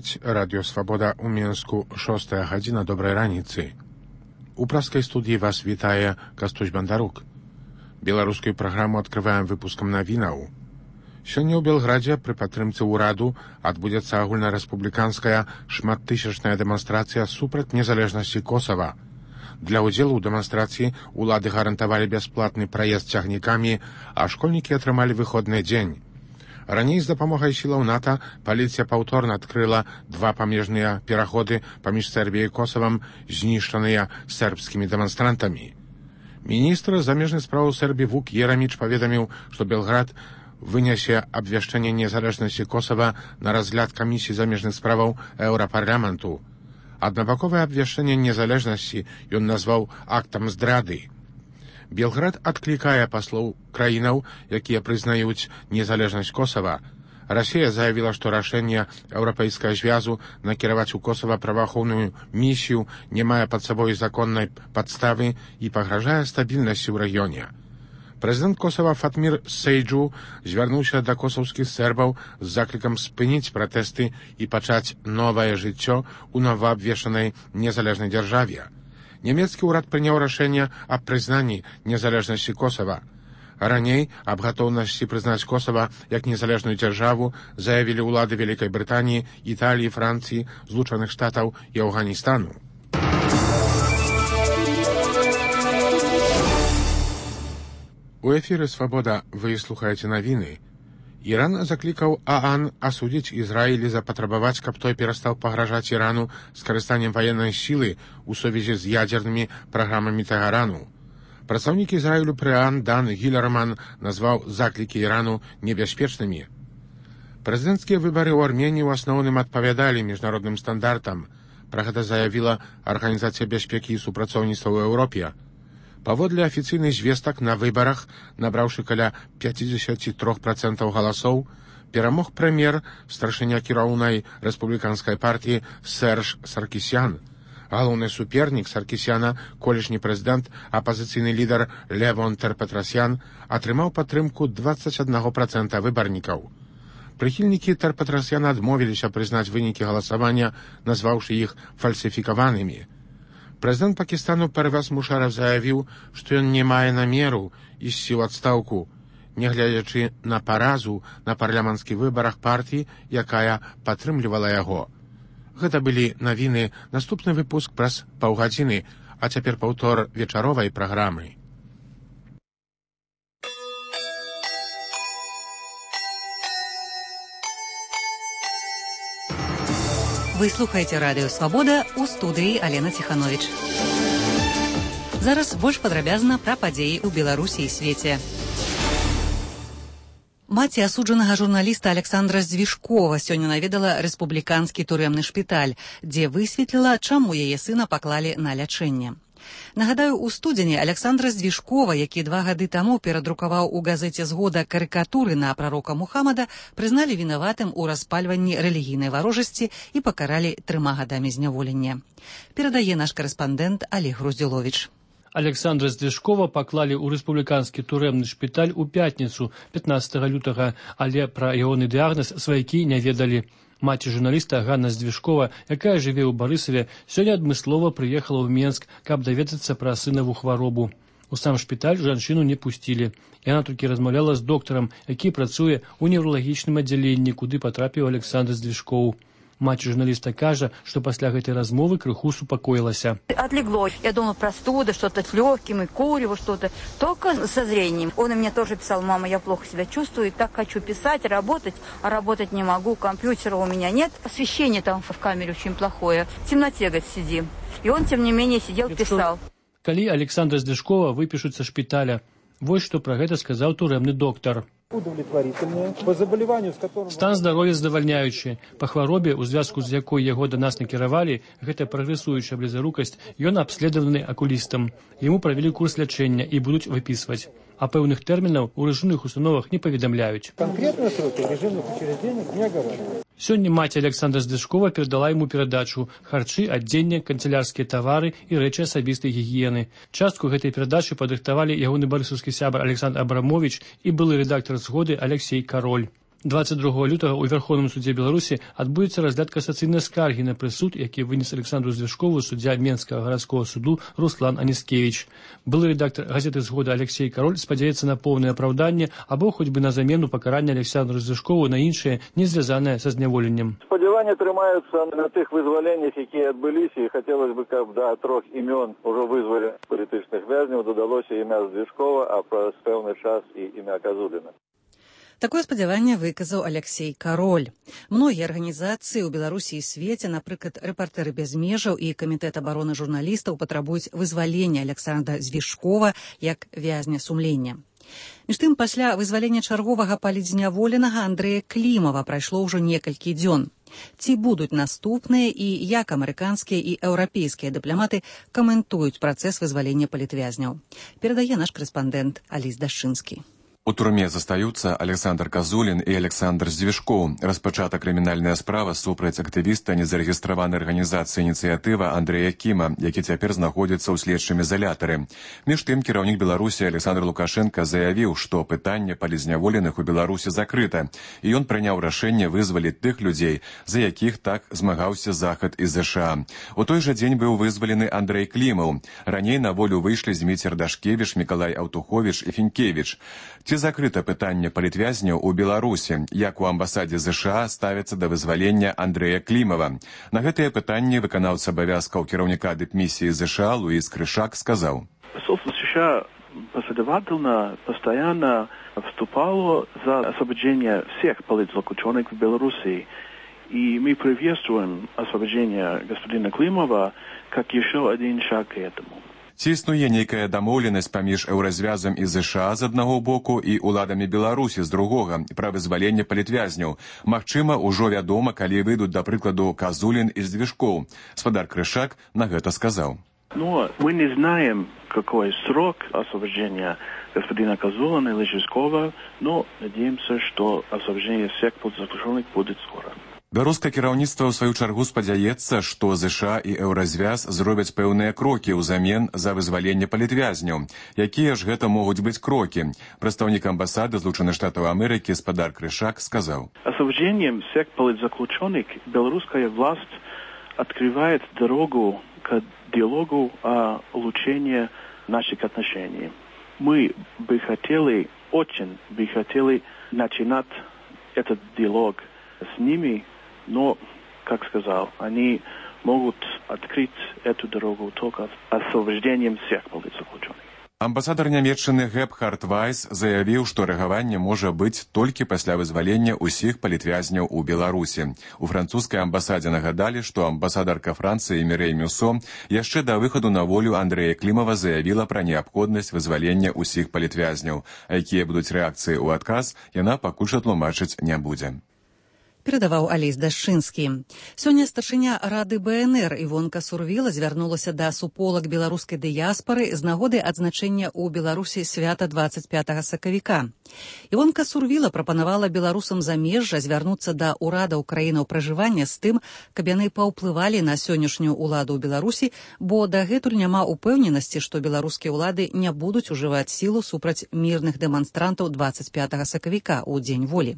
слухаць радыё Свабода ў Мінску, 6 гадзіна, добрай раніцы. У праскай студыі вас вітае Кастусь Бандарук. Беларускую праграму адкрываем выпускам навінаў. Сёння ў Белградзе пры падтрымцы ўраду адбудзецца агульнарэспубліканская шматтысячная дэманстрацыя супраць незалежнасці Косава. Для ўдзелу ў дэманстрацыі улады гарантавалі бясплатны праезд цягнікамі, а школьнікі атрымалі выходны дзень. Раней з дапамогай сілаў НАТО паліцыя паўторна адкрыла два памежныя пераходы паміж Сербіяй і Косавам, знішчаныя сербскімі дэманстрантамі. Міністр замежных спраў Сербіі Вук Ераміч паведаміў, што Белград вынясе абвяшчэнне незалежнасці Косава на разгляд камісіі замежных справаў Еўрапарламенту. Аднабаковае абвяшчэнне незалежнасці ён назваў актам здрады. Белград адклікае паслоў краінаў, якія прызнаюць незалежнасць Косава. Расія заявіла, што рашэнне Еўрапейскага звязу накіраваць у Косава праваахоўную місію не мае пад сабой законнай падставы і пагражае стабільнасці ў рэгіёне. Прэзідэнт Косава Фатмір Сейджу звярнуўся да косаўскіх сербаў з заклікам спыніць пратэсты і пачаць новае жыццё ў новаабвешчанай незалежнай дзяржаве. Нямецкі ўрад прыняў рашэнне аб прызнанні незалежнасці Косава. Раней аб гатоўнасці прызнаць Косава як незалежную дзяржаву заявілі ўлады Вялікай Брытаніі, Італіі, Францыі, Злучаных Штатаў і Афганістану. У эфіры «Свабода» вы слухаеце навіны. Іран заклікаў ААН асудзіць Ізраіль і запатрабаваць, каб той перастаў пагражаць Ірану скарыстаннем ваеннай сілы ў сувязі з ядзернымі праграмамі Тэгарану. Прадстаўнік Ізраілю пры ААН Дан Гілерман назваў заклікі Ірану небяспечнымі. Прэзідэнцкія выбары ў Арменіі ў асноўным адпавядалі міжнародным стандартам. Пра гэта заявіла Арганізацыя бяспекі і супрацоўніцтва ў Еўропе. Паводле афіцыйных звестак, на выбарах, набраўшы каля 53% галасоў, перамог прэм'ер, старшыня кіраўнай рэспубліканскай партыі Серж Саркісян. Галоўны супернік Саркісяна, колішні прэзідэнт, апазіцыйны лідар Левон Терпетрасян, атрымаў падтрымку 21% выбарнікаў. Прыхільнікі Терпетрасяна адмовіліся прызнаць вынікі галасавання, назваўшы іх фальсіфікаванымі. Прэзідэнт Пакістану Первез Мушарраф заявіў, што ён не мае намеру ісці ў адстаўку, нягледзячы на паразу на парламенцкіх выбарах партыі, якая падтрымлівала яго. Гэта былі навіны, наступны выпуск праз паўгадзіны, а цяпер паўтор вечаровай праграмы. Вы слухаеце радыё «Свабода», у студыі Алена Ціхановіч. Зараз больш падрабязна пра падзеі ў Беларусі і свеце. Маці асуджанага журналіста Александра Звішкова сёння наведала рэспубліканскі турэмны шпіталь, дзе высветліла, чаму яе сына паклалі на лячэнне. Нагадаю, у студзені Александра Звішкова, які 2 гады таму перадрукаваў у газеце «Згода» карыкатуры на прарока Мухаммада, прызналі вінаватым у распальванні рэлігійнай варожасці і пакаралі 3 гадамі зняволення. Перадае наш карэспандэнт Олег Груздзіловіч. Александра Звішкова паклалі ў рэспубліканскі турэмны шпіталь у пятніцу, 15 лютага, але пра ягоны дыягназ сваякі не ведалі. Маці журналіста Ганна Звішкова, якая жыве ў Барысаве, сёння адмыслова прыехала ў Менск, каб даведацца пра сынаву хваробу. У сам шпіталь жанчыну не пусцілі. Яна толькі размаўляла з доктарам, які працуе ў невралагічным аддзяленні, куды патрапіў Александр Звішкоў. Маці журналіста кажа, што пасля гэтай размовы крыху супакоілася. Отлегло. Я думала, простуда, что-то с легким, и курево, что-то. Только со зрением. Он мне тоже писал: мама, я плохо себя чувствую, так хочу писать, работать, а работать не могу, компьютера у меня нет. Освещение там в камере очень плохое. В темноте, говорит, сидим. И он, тем не менее, сидел, писал. Калі Александра Звішкова выпішуць са шпіталя, вось што пра гэта сказаў турэмны доктар. Стан здароўя задавальняючы. Па хваробе, у звязку з якой яго да нас накіравалі, гэта прагрэсуючая блізарукасць, ён абследаваны акулістам. Яму правялі курс лячэння і будуць выпісваць. А пэўных тэрмінаў у рэжымных установах не паведамляюць. Сёння маці Александра Звішкова перадала яму перадачу: харчы, адзенне, канцелярскія тавары і рэчы асабістай гігіены. Частку гэтай перадачы падрыхтавалі ягоны барысаўскі сябар Александр Абрамович і былы рэдактар «Згоды» Алексей Кароль. 22 лютага ў Верховным судзе Беларусі адбудзецца разгляд касацыйнай скаргі на прысуд, які вынес Александру Звяшкову суддзя Менскага гарадскога суду Руслан Аніскевіч. Былы рэдактар газеты «Згода» Алексей Кароль спадзяецца на поўнае апраўданне або хоць бы на замену пакарання Александру Звяшкову на іншае, не звязанае са зняволеннем. Спадзяванні трымаюцца на тых вызваленнях, якія адбыліся, і хацелось бы, каб да 3 імён ужо вызваленых палітычных вязняў дадалося імя Звяшкова, а праз пэўны час і імя Казуліна. Такое спадзяванне выказаў Алексей Кароль. Многія арганізацыі ў Беларусі і свеце, напрыклад, рэпартэры без межаў і камітэт абароны журналістаў патрабуюць вызвалення Александра Звяшкова як вязня сумлення. Між тым, пасля вызвалення чарговага палітзняволенага Андрэя Клімава прайшло ўжо некалькі дзён. Ці будуць наступныя і як амерыканскія і еўрапейскія дыпламаты каментуюць працэс вызвалення палітвязняў? Перадае наш корэспандэнт Аліс Дашчынскі. У турме застаюцца Александр Казулін і Александр Звяшкоў. Распачата крымінальная справа супраць актывіста незарэгістраванай арганізацыі «Ініцыятыва» Андрэя Кіма, які цяпер знаходзіцца ў следчым ізалятары. Між тым, кіраўнік Беларусі Александр Лукашенко заявіў, што пытанне палізняволеных у Беларусі закрыта, і ён прыняў рашэнне вызваліць тых людзей, за якіх так змагаўся Захад і ЗША. У той жа дзень быў вызвалены Андрэй Клімаў. Раней на волю выйшлі Зміцер Дашкевіч, Мікалай Аўтуховіч і Фінкевіч. Ці закрыта пытанне палітвязняў у Беларусі, як у амбасадзе ЗША ставяцца да вызвалення Андрэя Клімава? На гэтыя пытанні выканаўца абавязкаў кіраўніка дыпмісіі ЗША Луис Крышак сказаў. Посольство США последовательно, постоянно вступало за освобождение всех политзаключенных в Беларуси. И мы приветствуем освобождение господина Климова как еще один шаг к этому. Ці існуе нейкая дамоўленасць паміж еўразвязам і ЗША з аднаго боку і уладамі Беларусі з другога пра вызваленне палітвязняў? Магчыма, ужо вядома, калі выйдуць, да прыкладу, Казулін і Звяшкоў. Спадар Крышак на гэта сказаў. Но мы не знаем, какой срок освобождения господина Казулина или Звяшкова, но надеемся, что освобождение всех политзаключенных будет скоро. Беларускае кіраўніцтва ў сваю чаргу спадзяецца, што ЗША і еўразвяз зробяць пэўныя крокі ўзамен за вызваленне палітвязняў. Якія ж гэта могуць быць крокі? Прадстаўнік амбасады Злучаных Штатаў Амерыкі спадар Крышак сказаў. Освобождением всех политзаключенных белорусская власть открывает дорогу к диалогу о улучшении наших отношений. Мы бы хотели, очень бы хотели начинать этот диалог с ними, но, как сказал, они могут открыть эту дорогу только освобождением всех политзаключенных. Амбасадар Нямецчыны Гебхард Вайс заявіў, што рэагаванне можа быць толькі пасля вызвалення ўсіх палітвязняў у Беларусі. У французскай амбасадзе нагадалі, што амбасадарка Францыі Мірэй Мюсо яшчэ да выхаду на волю Андрэя Клімава заявіла пра неабходнасць вызвалення ўсіх палітвязняў. А якія будуць рэакцыі ў адказ, яна пакуль жа тлумачыць не будзе. Перадаваў Аліс Дашчынскі. Сёння старшыня Рады БНР Івонка Сурвіла звярнулася да суполак беларускай дыяспары з нагоды адзначэння ў Беларусі свята 25 сакавіка. Івонка Сурвіла прапанавала беларусам замежжа звярнуцца да ўрадаў краінаў пражывання з тым, каб яны паўплывалі на сённяшнюю ўладу ў Беларусі, бо дагэтуль няма упэўненасці, што беларускія ўлады не будуць ужываць сілу супраць мірных дэманстрантаў 25 сакавіка ў дзень волі.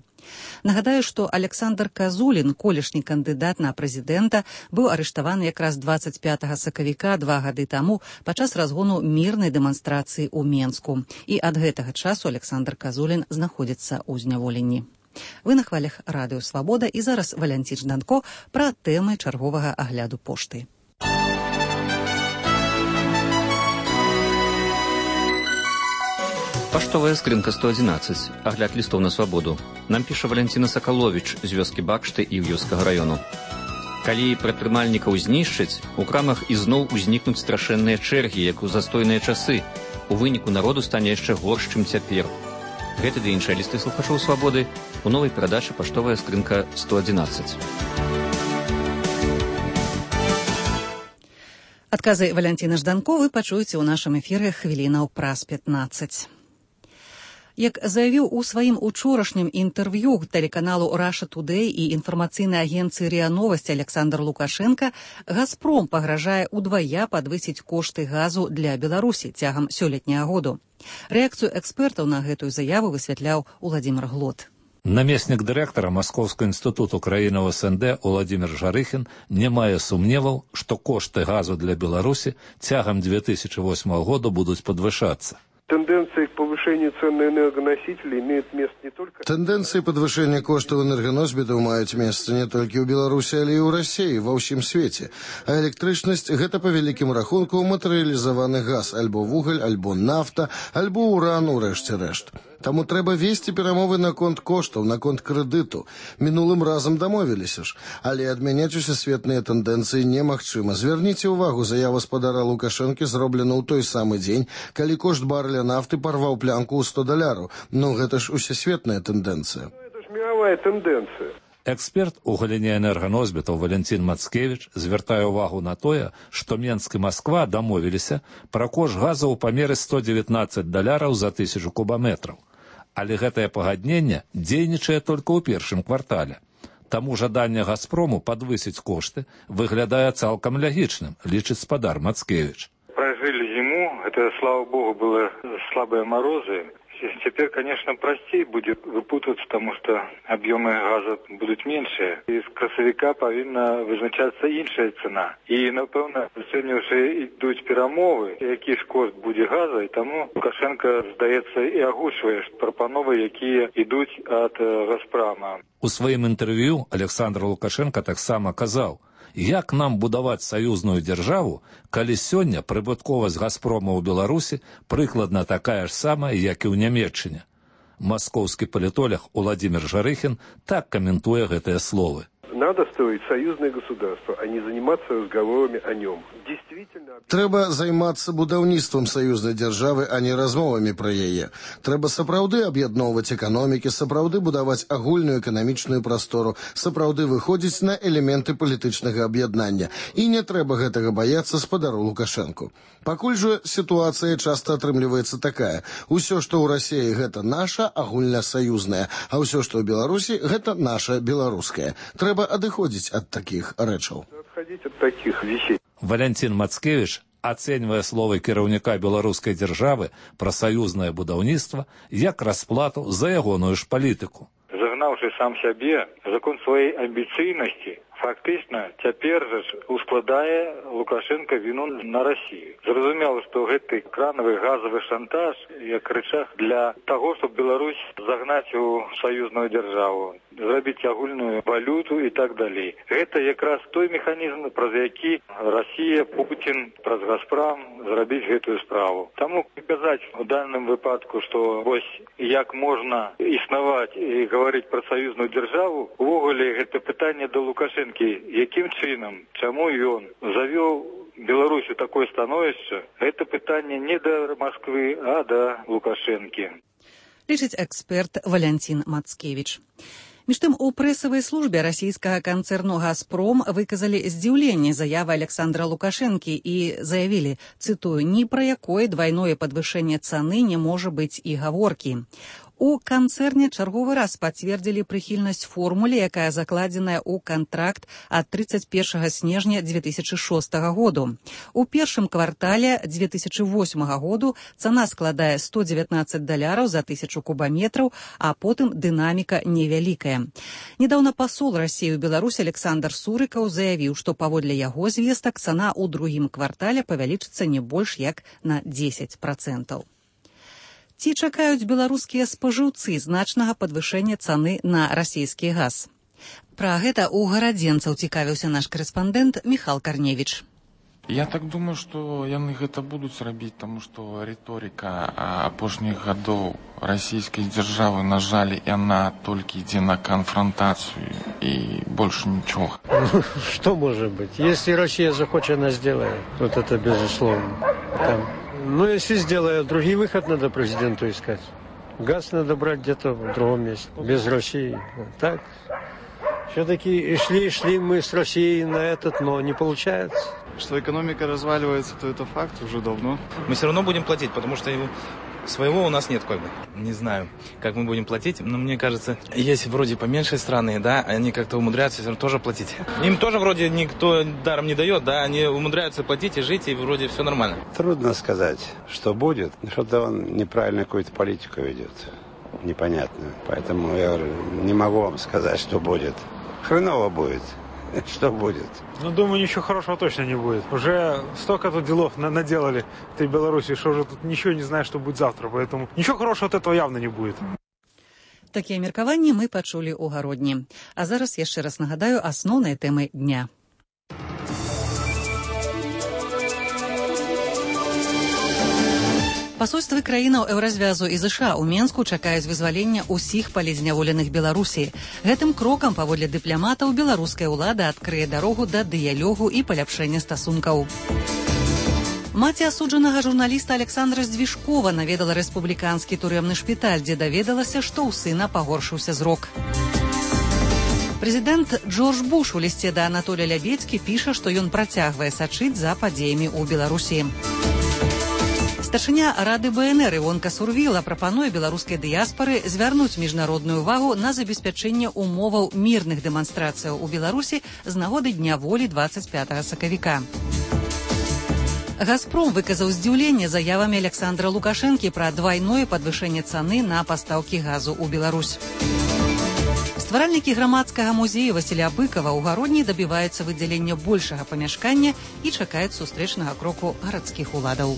Нагадаю, што Александр Казулін, колішні кандыдат на прэзідэнта, быў арыштаваны якраз 25 сакавіка 2 гады таму падчас разгону мірнай дэманстрацыі ў Менску. І ад гэтага часу Александр Казулін знаходзіцца ў зняволенні. Вы на хвалях радыё «Свабода» і зараз Валянцін Жданко пра тэмы чарговага агляду пошты. Паштовая скрынка 111. Агляд лістоў на свабоду. Нам піша Валянціна Сакаловіч з вёскі Бакшты і Іўёўскага раёну. Калі прадпрымальнікаў знішчаць, у крамах ізноў узнікнуць страшэнныя чэргі, як у застойныя часы. У выніку народу стане яшчэ горш, чым цяпер. Гэты ды іншыя лісты слухачоў свабоды у новай перадачы «Паштовая скрынка 111». Адказы Валянціна Жданко вы пачуеце ў нашым эфіры хвілінаў праз 15. Як заявіў у сваім учорашнім інтэрв'ю тэлеканалу Russia Today і інфармацыйнай агенцыі РИА Новости Александр Лукашенко, «Газпром» пагражае удвая падвысіць кошты газу для Беларусі цягам сёлетняга году. Рэакцыю экспертаў на гэтую заяву высвятляў Уладзімир Глот. Намеснік дырэктара Маскоўскага інстытуту краінаў СНД Уладзімір Жарыхін не мае сумневаў, што кошты газу для Беларусі цягам 2008 года будуць падвышацца. Тенденции к повышению цен на энергоносители имеют место не только... Тенденции подвышения коштов энергоносьбитов имеют место не только в Беларуси, але и в России, во всем свете. А электричность – это по великим рахунку материализованный газ, альбо вуголь, альбо нафта, альбо уран, урешті-решт. Тому треба вести перемови на конт коштів, на конт кредиту. Минулым разом домовилися ж. Але адмяняць усесветныя тенденцыі немагчыма. Зверніце ўвагу, заява спадара Лукашэнкі зроблена ў той самы дзень, калі кошт барреля нафты парваў плянку ў $100. Ну, гэта ж усесветная тэндэнцыя. Это ж мировая тенденция. Эксперт у галіне энерганосьбітаў Валентин Мацкевич звяртае ўвагу на тое, што Менск і Масква дамовіліся пра кошт газа ў памеры $119 за 1000 кубаметраў. Але гэтае пагадненне дзейнічае толькі ў першым квартале. Таму жаданне «Газпрому» падвысіць кошты выглядае цалкам лягічным, лічыць спадар Мацкевич. Прожили зиму, это, слава богу, было слабые морозы. Теперь, конечно, простей будет выпутаться, потому что объемы газа будут меньше. И с красовика повинна визначаться іншая цена. И, напевно, сьогодні вже йдуть перемови, який ж кошт буде газу, і тому Лукашенко, здається, і оголошує пропанови, які йдуть від «Газпрома». У сваім інтерв'ю Александр Лукашенко таксама казаў, як нам будаваць саюзную дзяржаву, калі сёння прыбытковасць «Газпрома» ў Беларусі прыкладна такая ж самая, як і ў Нямецчыне. Маскоўскі палітолог Уладзімір Жарыхін так каментуе гэтыя словы. Надо строить союзное государство, а не заниматься разговорами о нем. Действительно... Трэба займацца будаўніцтвам саюзнай дзяржавы, а не размовамі пра яе. Трэба сапраўды аб'ядноўваць эканомікі, сапраўды будаваць агульную эканамічную прастору, сапраўды выходзіць на элементы палітычнага аб'яднання. І не трэба гэтага баяцца спадару Лукашэнку. Пакуль жа сітуацыя часта атрымліваецца такая. Усё, што ў Расіі, гэта наша агульнасаюзнае, а ўсё, што ў Беларусі, гэта наша беларускае. Трэба адыходзіць ад такіх рэчаў. Отходить от таких вещей. Валентин Мацкевич ацэньвае словы кіраўніка беларускай дзяржавы пра саюзнае будаўніцтва як расплату за ягоную ж палітыку. Загнаўшы сам сябе, закон сваёй амбіцыйнасці, фактычна цяпер жа ускладае Лукашенко віну на Расію. Зразумела, што гэты кранавы газавы шантаж як рычаг для таго, щоб Беларусь загнаць у саюзную дзяржаву, зрабіць агульную валюту і так далей. Гэта якраз той механізм, праз які Расія, Путін, праз «Газпром» зрабіць гэтую справу. Таму казаць у даным выпадку, што вось як можна існаваць і гаварыць пра саюзную дзяржаву, увогуле гэта пытанне да Лукашенко, якім чынам, чаму ён завёў Беларусь у такое становішча, гэта пытанне не да Москвы, а да Лукашэнкі. Лічыць эксперт Валентин Мацкевич. Між тым, у прэсавай службе расійскага канцэрну «Газпром» выказалі здзіўленне заявы Александра Лукашэнкі і заявілі, цытую, «Ні пра якое двайное падвышэнне цаны не можа быць і гаворкі». У канцэрне чарговы раз пацвердзілі прыхільнасць формуле, якая закладзеная ў кантракт ад 31 снежня 2006 году. У першым квартале 2008 году цана складае $119 за 1000 кубаметраў, а потым дынаміка невялікая. Недаўна пасол Расіі ў Беларусь Александр Сурыкаў заявіў, што паводле яго звестак цана ў другім квартале павялічыцца не больш як на 10%. Ці чакаюць беларускія спажыўцы значнага падвышэння цаны на расійскі газ? Пра гэта ў гарадзенцаў цікавіўся наш корэспандэнт Міхал Карневіч. Я так думаю, што яны гэта будуць рабіць, таму што рыторыка апошніх гадоў расійскай дзяржавы, на жаль, яна толькі ідзе на конфронтацию и больше ничего. Что может быть? Если Россия захочет, она сделает. Вот это безусловно. Ну, если сделает, другой выход надо президенту искать. Газ надо брать где-то в другом месте, без России. Так. Все-таки шли мы с Россией на этот, но не получается. Что экономика разваливается, то это факт уже давно. Мы все равно будем платить, потому что своего у нас нет, как бы. Не знаю, как мы будем платить, но мне кажется, есть вроде поменьше страны, да, они как-то умудряются все равно тоже платить. Им тоже вроде никто даром не дает, да, они умудряются платить и жить, и вроде все нормально. Трудно сказать, что будет, что-то он неправильно какую-то политику ведет. непонятную. Поэтому я говорю, не могу вам сказать, что будет. Хреново будет. Что будет? Ну, думаю, ничего хорошего точно не будет. Уже столько тут делов наделали в этой Беларуси, что уже тут ничего не знаю, что будет завтра. Поэтому ничего хорошего от этого явно не будет. Такія меркаванні мы пачулі ў гародні. А зараз яшчэ раз нагадаю асноўныя тэмы дня. Пасольствы краінаў Еўразвязу і ЗША ў Менску чакаюць вызвалення ўсіх палізняволеных Беларусі. Гэтым крокам, паводле дыпламатаў, беларуская ўлада адкрые дарогу да дыялогу і паляпшэння стасункаў. Маці асуджанага журналіста Александра Здвижкова наведала рэспубліканскі турэмны шпіталь, дзе даведалася, што ў сына пагоршыўся зрок. Прэзідэнт Джордж Буш у лісце да Анатолія Лябедзькі піша, што ён працягвае сачыць за падзеямі ў Беларусі. Старшыня Рады БНР Івонка Сурвіла прапануе беларускай дыяспары звярнуць міжнародную увагу на забеспячэнне умоваў мірных дэманстрацыяў у Беларусі з нагоды Дня волі 25 сакавіка. «Газпром» выказаў здзіўленне заявамі Александра Лукашэнкі пра двайное падвышэнне цаны на пастаўкі газу ў Беларусь. Стваральнікі грамадскага музея Васіля Быкава ў гародні дабіваюцца выдзялення большага памяшкання і чакаюць сустрэчнага кроку гарадскіх уладаў.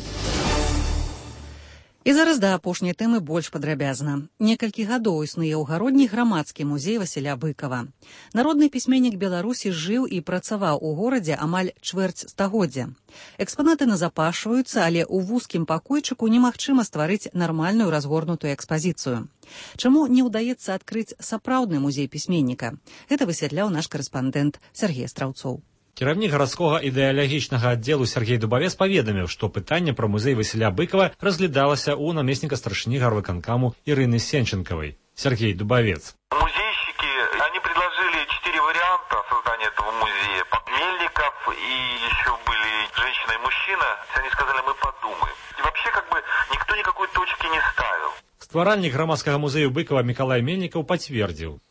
І зараз да апошняй тэмы больш падрабязна. Некалькі гадоў існуе ў гародні грамадскі музей Васіля Быкава. Народны пісьменнік Беларусі жыў і працаваў у горадзе амаль чвэрць стагоддзя. Экспанаты назапашваюцца, але ў вузкім пакойчыку немагчыма стварыць нармальную разгорнутую экспазіцыю. Чаму не ўдаецца адкрыць сапраўдны музей пісьменніка? Гэта высвятляў наш карэспандэнт Сергей Страўцоў. Кіраўнік гарадскога ідэалагічнага аддзелу Сергей Дубавец паведаміў, што пытанне пра музей Васіля Быкава разглядалася ў намесніка старшыні гарвыканкаму Ирины Сенченковой. Сергей Дубавец. Музейщики, они предложили 4 варианта создания этого музея. Мельников и еще были женщина и мужчина. Они сказали, мы подумаем. И вообще никто никакой точки не ставил. Стваральнік грамадскага музею Быкова Миколай Мельников подтвердил.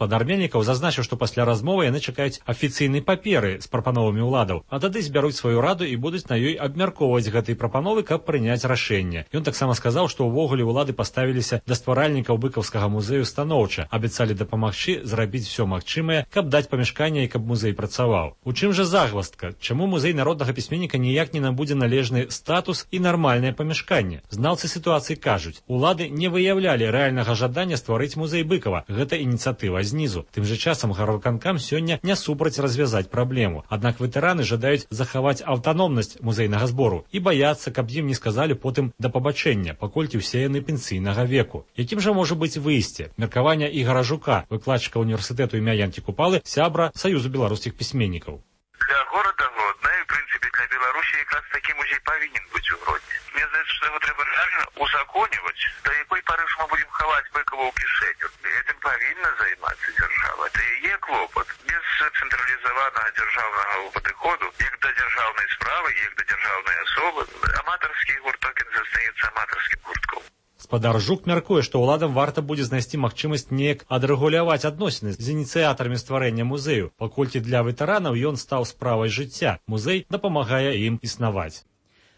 Гаспадар Мельнікаў зазначыў, што пасля размовы яны чакаюць афіцыйнай паперы з прапановамі ўладаў, а тады збяруць сваю раду і будуць на ёй абмяркоўваць гэтыя прапановы, каб прыняць рашэнне. Ён таксама сказаў, што ўвогуле ўлады паставіліся да стваральнікаў быкаўскага музею станоўча, абяцалі дапамагчы зрабіць усё магчымае, каб даць памяшканне і каб музей працаваў. У чым жа загваздка? Чаму музей народнага пісьменніка ніяк не набудзе належны статус і нармальнае памяшканне? Знаўцы сітуацыі кажуць, улады не выяўлялі рэальнага жадання стварыць музей Быкава. Гэта ініцыятыва знізу. Тым жа часам гарвыканкам сёння не супраць развязаць праблему. Аднак ветэраны жадаюць захаваць аўтаномнасць музейнага збору і баяцца, каб ім не сказалі потым да пабачэння, паколькі ўсе яны пенсійнага веку. Якім жа можа быць выйсце? Меркаванне Ігара Жука, выкладчыка універсітэту імя Янкі Купалы, сябра Саюзу беларускіх пісьменнікаў. Для города Гродно і, в принципе, для Беларусі якраз такі музей павінен быць у Гродні. Мне здаецца, што яго трэба рэальна узаконіваць. До якой пары ж мы будем хаваць Быкова ў кішэню? Этим павінна займацца дзяржава. Это яе клопат. Без цэнтралізаванага дзяржаўнага падыходу, як да дзяржаўнай справы, як да дзяржаўнай асобы, аматарскі гурток застаецца аматарскім гуртком. Гаспадар Жук мяркуе, што ўладам варта будзе знайсці магчымасць неяк адрэгуляваць адносіны з ініцыятарамі стварэння музею, паколькі для ветэранаў ён стаў справай жыцця. Музей дапамагае ім існаваць.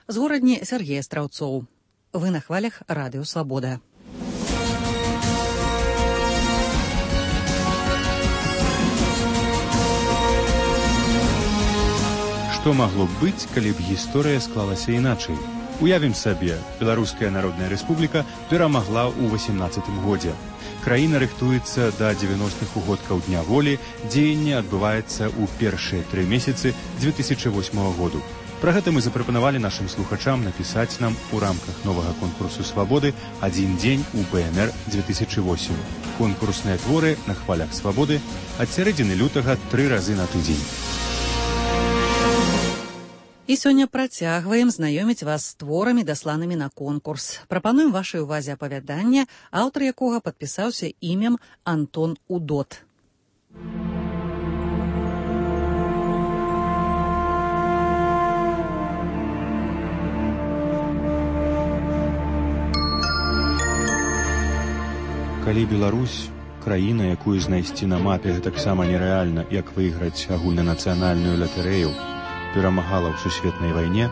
З горадні Сергея Страўцоў. Вы на хвалях Радыё Свабода. Што магло б быць, калі б гісторыя склалася іначай? Уявім сабе, Беларуская Народная Рэспубліка перамагла ў 18-м годзе. Краіна рыхтуецца да 90-х угодкаў Дня волі, дзеянне адбываецца ў першыя 3 месяцы 2008 году. Пра гэта мы запрапанавалі нашым слухачам напісаць нам у рамках новага конкурсу «Свабоды» «Адзін дзень у БНР 2008». Конкурсныя творы на хвалях «Свабоды» ад сярэдзіны лютага 3 разы на тыдзень. І сёння працягваем знаёміць вас з творамі, дасланымі на конкурс. Прапануем вашай увазе апавяданне, аўтар якога падпісаўся імем Антон Удот. Калі Беларусь, краіна, якую знайсці на мапе гэтаксама нерэальна, як выйграць агульнанацыянальную латарэю, перамагала ў сусветнай вайне,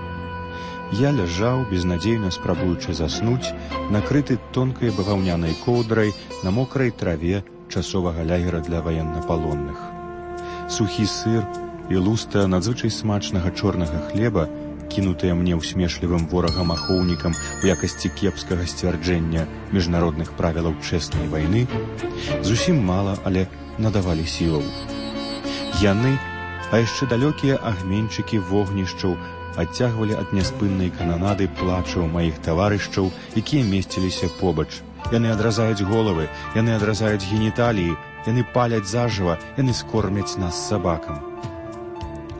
я ляжаў, безнадзейна спрабуючы заснуць, накрыты тонкай баваўнянай коўдрай на мокрай траве часовага лагера для ваеннапалонных. Сухі сыр і луста надзвычай смачнага чорнага хлеба, кінутыя мне ўсмешлівым ворагам-ахоўнікам у якасці кепскага сцвярджэння міжнародных правілаў чэснай вайны, зусім мала, але надавалі сілаў. Яны, а яшчэ далёкія агменьчыкі вогнішчаў, адцягвалі ад няспыннай кананады плачаў маіх таварышчаў, якія месціліся побач. Яны адразаюць головы, яны адразаюць геніталіі, яны паляць зажыва, яны скормяць нас сабакам.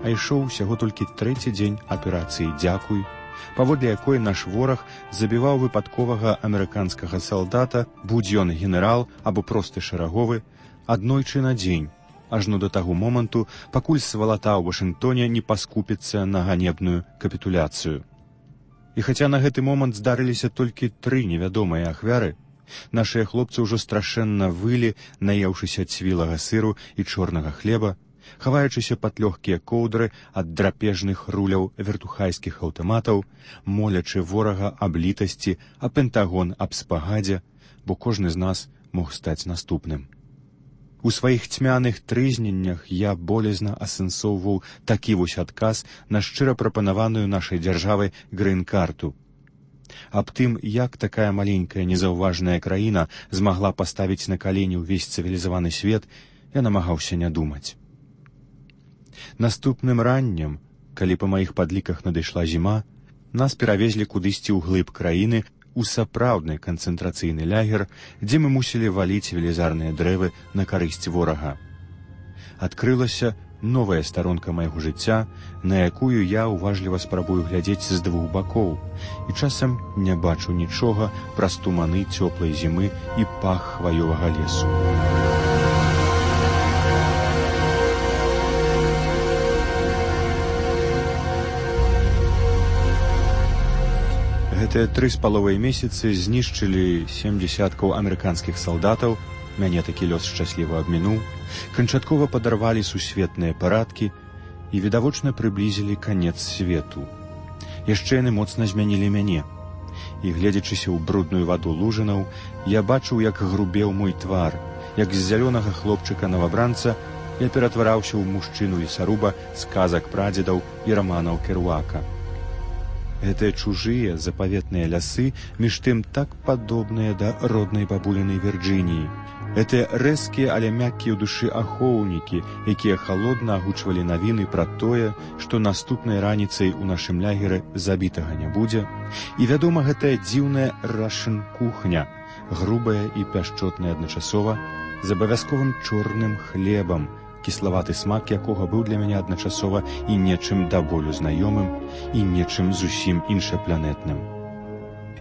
А ішоў усяго толькі 3-й дзень аперацыі «Дзякуй», паводле якой наш вораг забіваў выпадковага амерыканскага салдата, будь ён генерал або просты шараговы, аднойчы на дзень, ажно да таго моманту, пакуль свалата ў Вашынгтоне не паскупіцца на ганебную капітуляцыю. І хаця на гэты момант здарыліся толькі 3 невядомыя ахвяры, нашыя хлопцы ўжо страшэнна вылі, наеўшыся цвілага сыру і чорнага хлеба, хаваючыся пад лёгкія коўдры ад драпежных руляў вертухайскіх аўтаматаў, молячы ворага аб літасці, а Пентагон аб спагадзе, бо кожны з нас мог стаць наступным. У сваіх цьмяных трызненнях я болезна асэнсоўваў такі вось адказ на шчыра прапанаваную нашай дзяржавай грын-карту. Аб тым, як такая маленькая незаўважная краіна змагла паставіць на калені ўвесь цывілізаваны свет, я намагаўся не думаць. Наступным раннем, калі па маіх падліках надышла зіма, нас перавезлі кудысьці ўглыб краіны у сапраўдны канцэнтрацыйны лагер, дзе мы мусілі валіць велізарныя дрэвы на карысць ворага. Адкрылася новая старонка майго жыцця, на якую я уважліва спрабую глядзець з 2 бакоў, і часам не бачу нічога праз туманы цёплай зімы і пах хваёвага лесу. Гэтыя 3,5 месяцы знішчылі 70 амерыканскіх салдатаў, мяне такі лёс шчасліва абмінуў, канчаткова падарвалі сусветныя парадкі і відавочна прыблізілі канец свету. Яшчэ яны моцна змянілі мяне. І, гледзячыся ў брудную ваду лужынаў, я бачыў, як грубеў мой твар, як з зялёнага хлопчыка-новабранца я ператвараўся ў мужчыну-лесаруба з казак прадзедаў і раманаў Керуака. Гэтыя чужыя запаветныя лясы між тым так падобныя да роднай бабулінай Вірджыніі. Гэтыя рэзкія, але мяккія ў душы ахоўнікі, якія халодна агучвалі навіны пра тое, што наступнай раніцай у нашым лагеры забітага не будзе. І, вядома, гэтая дзіўная рашын-кухня, грубая і пяшчотная адначасова, з абавязковым чорным хлебам, кіславаты смак якога быў для мяне адначасова і нечым да болю знаёмым, і нечым зусім іншапланетным.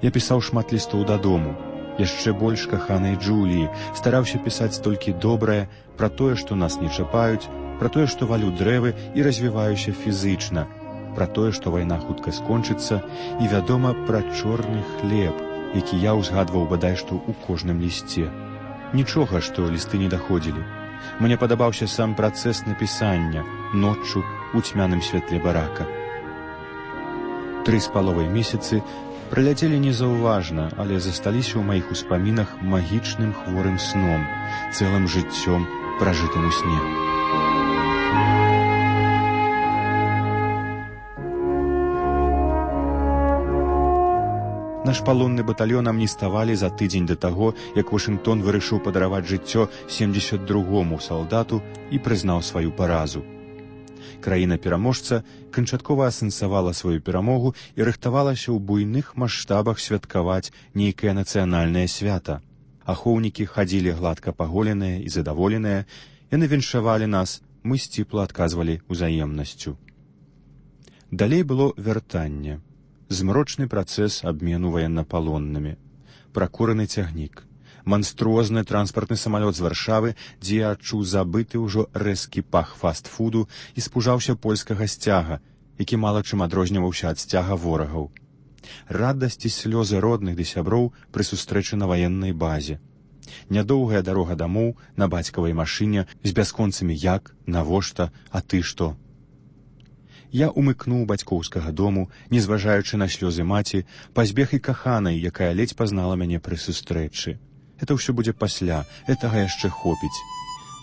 Я пісаў шмат лістоў дадому, яшчэ больш каханай Джуліі, стараўся пісаць толькі добрае пра тое, што нас не чапаюць, пра тое, што валю дрэвы і развіваюся фізычна, пра тое, што вайна хутка скончыцца, і, вядома, пра чорны хлеб, які я ўзгадваў бадай што ў кожным лісце. Нічога, што лісты не даходзілі. Мне падабаўся сам працэс напісання ноччу ў цьмяным святле барака. 3,5 месяцы праляцелі незаўважна, але засталіся ў маіх успамінах магічным хворым сном, цэлым жыццём, пражытым у сне. Наш палонны батальён амніставалі за тыдзень да таго, як Вашынгтон вырашыў падараваць жыццё 72-му салдату і прызнаў сваю паразу. Краіна-пераможца канчаткова асэнсавала сваю перамогу і рыхтавалася ў буйных маштабах святкаваць нейкае нацыянальнае свята. Ахоўнікі хадзілі гладка паголеныя і задаволеныя, яны віншавалі нас, мы сціпла адказвалі ўзаемнасцю. Далей было вяртанне. Змрочны працэс абмену ваеннапалоннымі, пракураны цягнік, манструозны транспартны самалёт з Варшавы, дзе я адчуў забыты ўжо рэзкі пах фаст-фуду і спужаўся польскага сцяга, які мала чым адрозніваўся ад сцяга ворагаў. Радасць і слёзы родных ды сяброў пры сустрэчы на ваеннай базе. Нядоўгая дарога дамоў на бацькавай машыне з бясконцамі як, навошта, а ты што? Я умыкнуў бацькоўскага дому, не зважаючы на слёзы маці, пазбег і каханай, якая ледзь пазнала мяне пры сустрэчы. Это ўсё будзе пасля, гэтага яшчэ хопіць.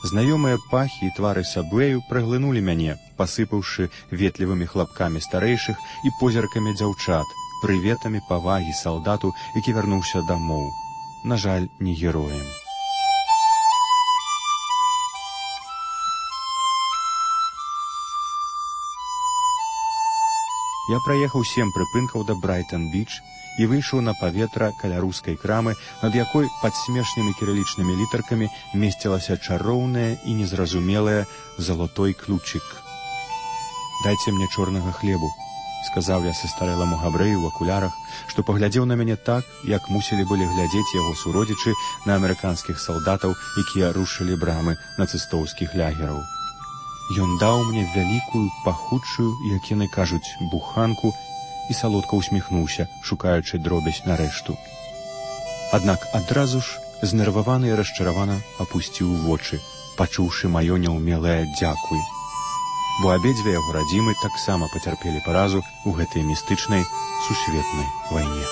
Знаёмыя пахі і твары сабвею праглынулі мяне, пасыпаўшы ветлівымі хлапкамі старэйшых і позіркамі дзяўчат, прыветамі павагі салдату, які вярнуўся дамоў. На жаль, не героем. Я праехаў 7 прыпынкаў да Брайтон-Біч і выйшаў на паветра каля рускай крамы, над якой пад смешнымі кірылічнымі літаркамі месцілася чароўнае і незразумелае залатой ключик. «Дайце мне чорнага хлебу», — сказаў я састарэламу габрэю ў акулярах, што паглядзеў на мяне так, як мусілі былі глядзець яго суродзічы на амерыканскіх салдатаў, якія рушылі брамы нацыстоўскіх лягераў. Ён даў мне вялікую, пахучую, як яны кажуць, буханку і салодка ўсміхнуўся, шукаючы дробязь на рэшту. Аднак адразу ж, знерваваны і расчаравана, апусціў вочы, пачуўшы маё няўмелае «дзякуй». Бо абедзве яго радзімы таксама пацярпелі паразу ў гэтай містычнай сусветнай вайне.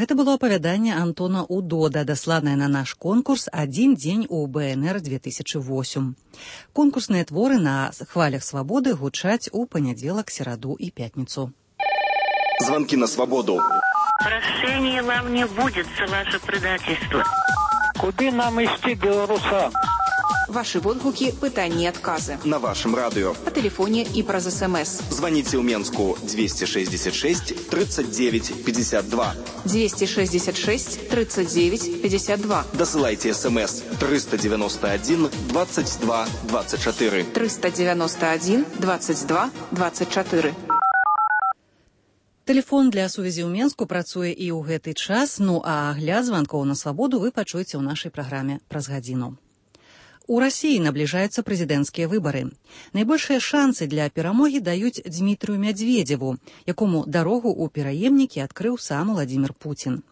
Гэта было апавяданне Антона Удода, дасланае на наш конкурс «Адзін дзень у БНР-2008». Конкурсныя творы на хвалях свабоды гучаць у панядзелак, сераду і пятніцу. Звонки на свободу. Прощения вам не будет за ваше предательство. Куды нам ісці, беларусам? Ваши водгуки, пытания и отказы. На вашем радио. По телефоне и праз СМС. Звоните в Менску 266 39 52. 266 39 52. Досылайте СМС 391 22 24. 391 22 24. Тэлефон для сувязі ў Менску працуе і ў гэты час, ну а агляд званкоў на свабоду вы пачуеце ў нашай праграме праз гадзіну. У Расіі набліжаюцца прэзідэнцкія выбары. Найбольшыя шансы для перамогі даюць Дзмітрыю Мядзведзеву, якому дарогу ў пераемнікі адкрыў сам Уладзімір Пуцін.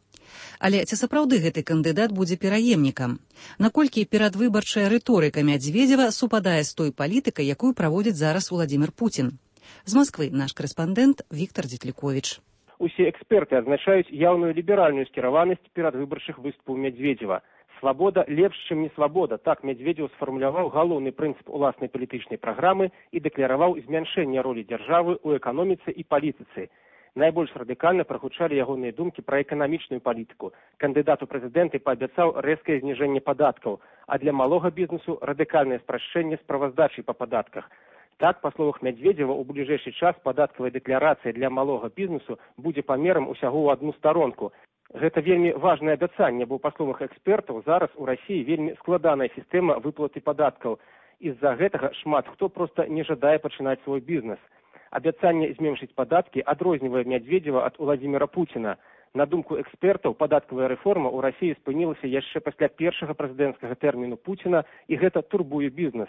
Але ці сапраўды гэты кандыдат будзе пераемнікам? Наколькі перадвыбарчая рыторыка Мядзведзева супадае з той палітыкай, якую праводзіць зараз Уладзімір Пуцін? З Москвы наш корэспандэнт Віктор Дзетліковіч. Усе эксперты адзначаюць яўную ліберальную скіраванасць перадвыбарчых выступаў Мядзведзева. Свабода лепш, чым не свабода. Так Мядзведзеў сфармуляваў галоўны прынцып уласнай палітычнай праграмы і дэкляраваў змяншэнне ролі дзяржавы ў эканоміцы і палітыцы. Найбольш радыкальна прагучалі ягоныя думкі пра эканамічную палітыку. Кандыдат у прэзідэнты паабяцаў рэзкае зніжэнне падаткаў, а для малога бізнесу радыкальнае спрашчэнне справаздачы па падатках. Так, па словах Мядзведзева, у бліжэйшы час падаткавая дэкларацыя для малога бізнесу будзе памерам усяго ў адну старонку. Гэта вельмі важнае абяцанне, бо, па словах экспертаў, зараз у Расіі вельмі складаная сістэма выплаты падаткаў. З-за гэтага шмат хто проста не жадае пачынаць свой бізнес. Абяцанне зменшыць падаткі адрознівае Мядзведзева ад Уладзіміра Пуціна. На думку экспертаў, падаткавая рэформа ў Расіі спынілася яшчэ пасля першага прэзідэнцкага тэрміну Пуціна, і гэта турбуе бізнес.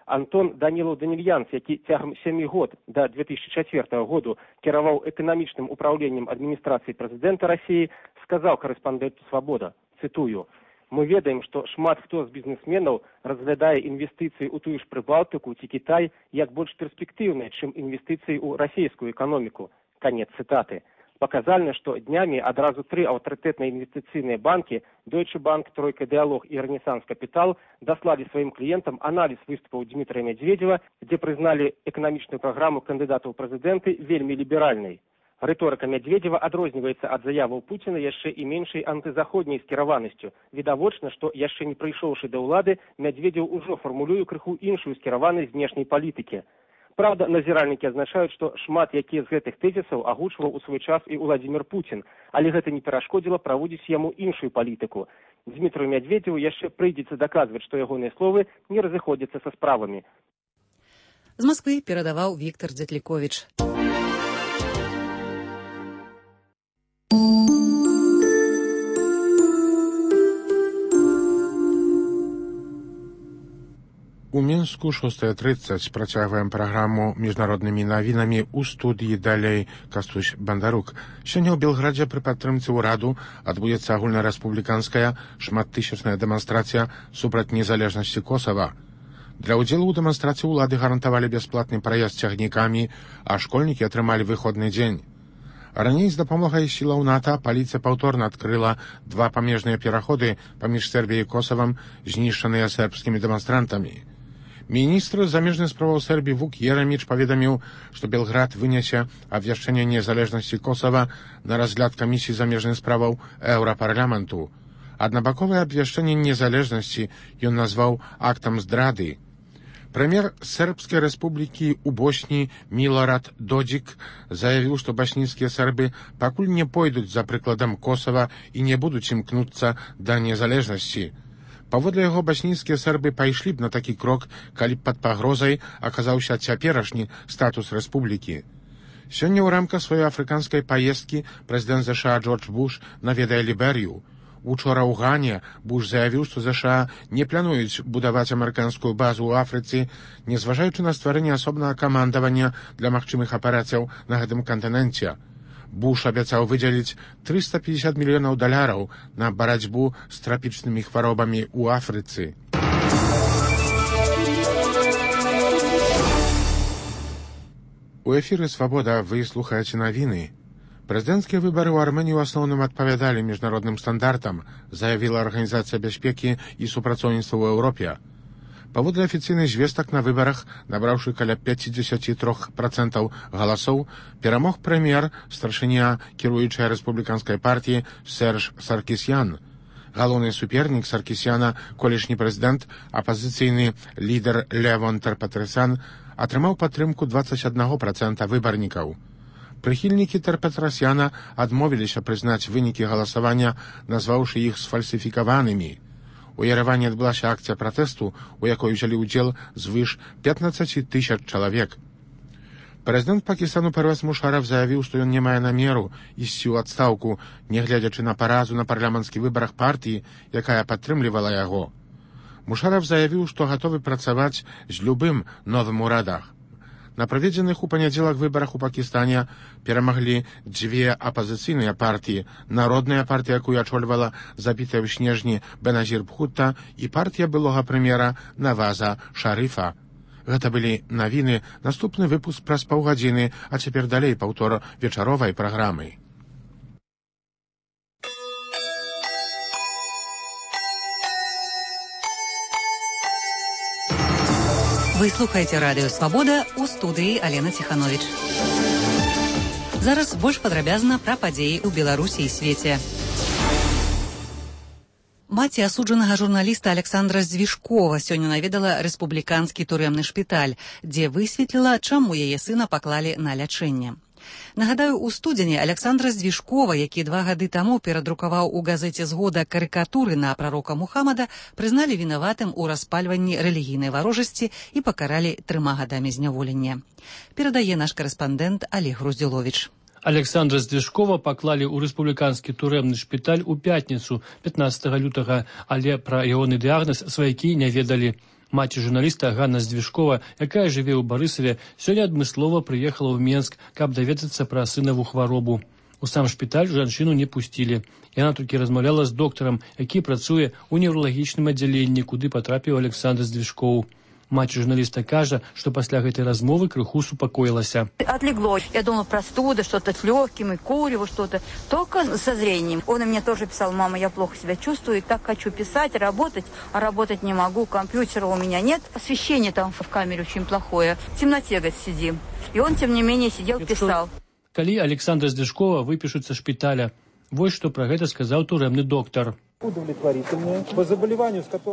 Антон Данілаў-Данільянц, які цягам 7 год да 2004 году кіраваў эканамічным управленнем адміністрацыі прэзідэнта Расіі, сказаў корэспандэнту «Свабода», цытую, «Мы ведаем, што шмат хто з бізнесменаў разглядае інвестыцыі ў тую ж Прыбалтыку ці Кітай як больш перспектыўныя, чым інвестыцыі ў расійскую эканоміку». Канец цытаты. Паказальна, што днямі адразу 3 аўтарытэтныя інвестыцыйныя банкі Deutsche Bank, Тройка Дыалог і Рэнесанс Капітал даслалі сваім кліентам аналіз выступаў Дзмітрыя Мядзведзева, дзе прызналі эканамічную праграму кандыдата ў прэзідэнты вельмі ліберальнай. Рыторыка Мядзведзева адрозніваецца ад заяваў Пуціна яшчэ і меншай антызаходняй скіраванасцю. Відавочна, што яшчэ не прыйшоўшы да ўлады, Мядзведзеў ужо фармулюе крыху іншую скіраванасць знешняй палітыкі. Праўда, назіральнікі адзначаюць, што шмат якія з гэтых тэзісаў агучваў у свой час і Уладзімір Пуцін, але гэта не перашкодзіла праводзіць яму іншую палітыку. Дзмітрыю Мядзведзеву яшчэ прыйдзецца даказваць, што ягоныя словы не разыходзяцца са справамі. З Москвы перадаваў Віктор Дзетліковіч. У Мінску 6:30 працягваем праграму міжнароднымі навінамі ў студыі далей Кастусь Бандарук. Сёння ў Белградзе пры падтрымцы ўраду адбудзецца агульнарэспубліканская шматтысячная дэманстрацыя супраць незалежнасці Косава. Для ўдзелу ў дэманстрацыі ўлады гарантавалі бясплатны праезд цягнікамі, а школьнікі атрымалі выходны дзень. Раней з дапамогай сілаў НАТО паліцыя паўторна адкрыла 2 памежныя пераходы паміж Сербіяй і Косавам, знішчаныя сербскімі дэманстрантамі. Міністр замежных справаў Сербіі Вук Ераміч паведаміў, што Белград вынясе абвяшчэнне незалежнасці Косава на разгляд камісіі замежных справаў Еўрапарламенту. Аднабаковае абвяшчэнне незалежнасці ён назваў актам здрады. Прэм'ер Сербскай рэспублікі ў Босні Милорад Додзік заявіў, што баснійскія сербы пакуль не пойдуць за прыкладам Косава і не будуць імкнуцца да незалежнасці. Паводле яго, баснійскія сербы пайшлі б на такі крок, калі б пад пагрозай аказаўся цяперашні статус рэспублікі. Сёння ў рамках сваёй афрыканскай паездкі прэзідэнт ЗША Джордж Буш наведае Ліберыю. Учора ў Гане Буш заявіў, што ЗША не плануюць будаваць амерыканскую базу ў Афрыцы, незважаючы на стварэнне асобнага камандавання для магчымых аперацыяў на гэтым кантыненце. Буш абяцаў выдзеліць $350 мільёнаў на барацьбу з трапічнымі хваробамі ў Афрыцы. У эфіры «Свабода» вы слухаеце навіны. Прэзідэнцкія выбары ў Арменіі ў асноўным адпавядалі міжнародным стандартам, заявіла Арганізацыя бяспекі і супрацоўніцтва ў Еўропе. Паводле афіцыйных звестак, на выбарах, набраўшы каля 53% галасоў, перамог прэм'ер, старшыня кіруючай рэспубліканскай партіі Серж Саркісян. Галоўны супернік Саркісяна, колішні прэзідэнт, апазіцыйны лідар Левон Терпетросян, атрымаў падтрымку 21% выбарнікаў. Прыхільнікі Терпетросяна адмовіліся прызнаць вынікі галасавання, назваўшы іх сфальсіфікаванымі. У Ереване адбылася акцыя пратэсту, у якой узялі ўдзел звыш 15 000 чалавек. Прэзідэнт Пакістану Первез Мушарраф заявіў, што ён не мае намеру ісці ў адстаўку, нягледзячы на паразу на парламенцкіх выбарах партыі, якая падтрымлівала яго. Мушарраф заявіў, што гатовы працаваць з любым новым урадам. На праведзеных у панядзелак выбарах у Пакістане перамаглі 2 апазіцыйныя партыі: Народная партыя, якую ачольвала забітая ў снежні Беназір Бхутта, і партія былога прэм'ера Наваза Шарыфа. Гэта былі навіны. Наступны выпуск праз паўгадзіны, а цяпер далей паўтор вечаровай праграмы. Вы слухаеце радыё «Свабода», у студыі Алена Ціхановіч. Зараз больш падрабязна пра падзеі ў Беларусі і свеце. Маці асуджанага журналіста Александра Звішкова сёння наведала рэспубліканскі турэмны шпіталь, дзе высветліла, чаму яе сына паклалі на лячэнне. Нагадаю, у студзені Александра Звішкова, які 2 гады таму перадрукаваў у газеце «Згода» карыкатуры на прарока Мухаммада, прызналі вінаватым у распальванні рэлігійнай варожасці і пакаралі 3 гадамі зняволення. Перадае наш карэспандэнт Олег Груздзіловіч. Александра Звішкова паклалі ў рэспубліканскі турэмны шпіталь у пятніцу, 15 лютага, але пра ягоны дыягназ сваякі не ведалі. Маці журналіста Ганна Звішкова, якая жыве ў Барысаве, сёння адмыслова прыехала ў Менск, каб даведацца пра сынаву хваробу. У сам шпіталь жанчыну не пусцілі. Яна толькі размаўляла з доктарам, які працуе ў невралагічным аддзяленні, куды патрапіў Александр Звішкоў. Маці журналіста кажа, што пасля гэтай размовы крыху супакоілася. Отлегло. Я думала, простуда, что-то с легким, и курево, что-то. Только со зрением. Он и мне тоже писал: мама, я плохо себя чувствую, так хочу писать, работать, а работать не могу, компьютера у меня нет. Освещение там в камере очень плохое. В темноте, говорит, сидим. И он, тем не менее, сидел, писал. Калі Александра Звішкова выпішуць са шпіталя, вось што пра гэта сказаў турэмны доктар.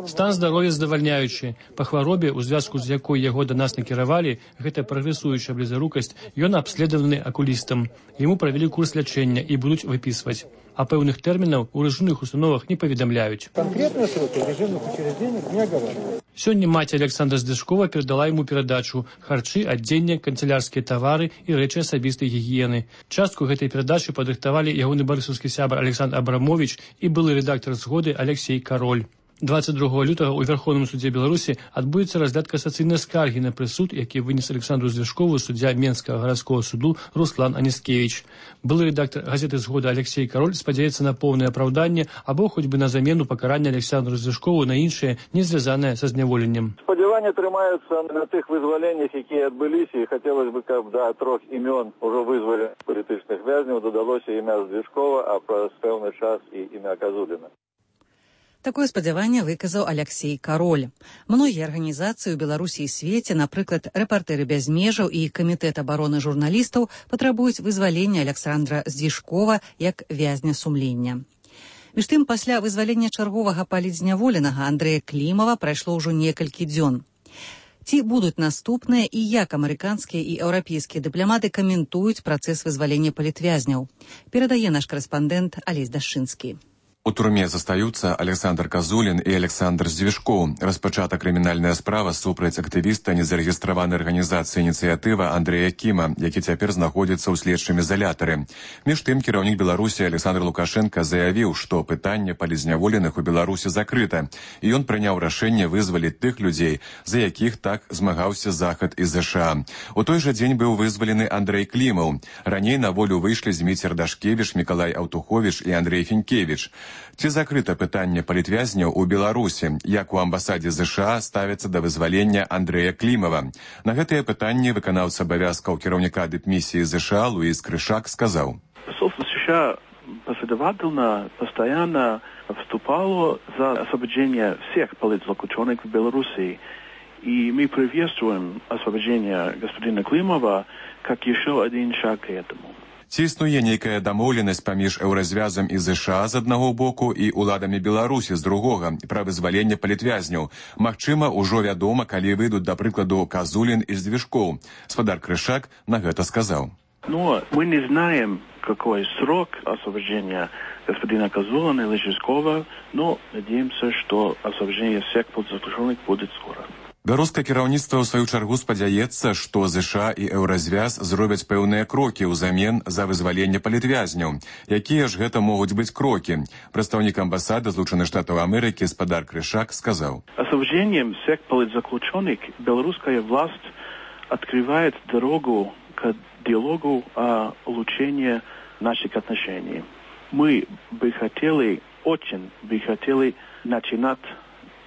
Стан здароўя задавальняючы. Па хваробе, у звязку з якой яго да нас накіравалі, гэта прагрэсуючая блізарукасць, ён абследаваны акулістам. Яму правялі курс лячэння і будуць выпісваць. А пэўных тэрмінаў у рэжымных установах не паведамляюць. Конкретные сроки режимных учреждений не оговаривают. Сёння маці Александра Звішкова перадала яму перадачу: харчы, адзенне, канцелярскія тавары і рэчы асабістай гігіены. Частку гэтай перадачы падрыхтавалі ягоны барысаўскі сябар Александр Абрамович і былы рэдактар «Згоды» Алексей Кароль. 22 лютага ў Верховным судзе Беларусі адбудзецца разгляд касацыйнай скаргі на прысуд, які вынес Александру Звяшкову суддзя Менскага гарадскога суду Руслан Анискевич. Былы рэдактар газеты «Згода» Алексей Кароль спадзяецца на поўнае апраўданне або хоць бы на замену пакарання Александру Звяшкову на іншае, не звязанае са зняволеннем. Спадзяванні трымаюцца на тых вызваленнях, якія адбыліся, і хацелось бы, каб да 3 імён ужо вызвалі палітычных вязняў дадалося імя Звяшкова, а праз пэўны час і імя Казуліна. Такое спадзяванне выказаў Алексей Кароль. Многія арганізацыі ў Беларусі і свеце, напрыклад, рэпартэры без межаў і камітэт абароны журналістаў, патрабуюць вызвалення Александра Звяшкова як вязня сумлення. Між тым, пасля вызвалення чарговага палітзняволенага Андрэя Клімава прайшло ўжо некалькі дзён. Ці будуць наступныя і як амерыканскія і еўрапейскія дыпламаты каментуюць працэс вызвалення палітвязняў, перадае наш корэспандэнт Алесь Дашчынскі. У турме застаюцца Александр Казулін і Александр Звяшкоў. Распачата крымінальная справа супраць актывіста незарэгістраванай арганізацыі «Ініцыятыва» Андрэя Кіма, які цяпер знаходзіцца ў следчым изалятары. Між тым, кіраўнік Беларусі Александр Лукашенко заявіў, што пытанне палітзняволеных у Беларусі закрыта, і ён прыняў рашэнне вызваліць тых людзей, за якіх так змагаўся Захад і ЗША. У той жа дзень быў вызвалены Андрэй Клімаў. Раней на волю выйшлі Зміцер Дашкевіч, Мікалай Аўтуховіч і Андрэй Фінкевіч. Ці закрыта пытанне палітвязняў у Беларусі, як у амбасадзе ЗША ставяцца да вызвалення Андрэя Клімава? На гэтыя пытанні выканаўца абавязкаў кіраўніка дыпмісіі ЗША Луис Крышак сказаў. Посольство США последовательно, постоянно вступало за освобождение всех политзаключенных в Беларуси. И мы приветствуем освобождение господина Климова как еще один шаг к этому. Ці існуе нейкая дамоўленасць паміж еўразвязам і ЗША з аднаго боку і уладамі Беларусі з другога пра вызваленне палітвязняў? Магчыма, ужо вядома, калі выйдуць, да прыкладу, Казулін і Звяшкоў. Спадар Крышак на гэта сказаў. Но мы не знаем, какой срок освобождения господина Казулина или Звяшкова, но надеемся, что освобождение всех политзаключенных будет скоро. Беларускае кіраўніцтва ў сваю чаргу спадзяецца, што ЗША і еўразвяз зробяць пэўныя крокі ўзамен за вызваленне палітвязняў. Якія ж гэта могуць быць крокі? Прадстаўнік амбасады Злучаных Штатаў Амерыкі спадар Крышак сказаў. Освобождением всех политзаключенных белорусская власть открывает дорогу к диалогу о улучшении наших отношений. Мы бы хотели, очень бы хотели начинать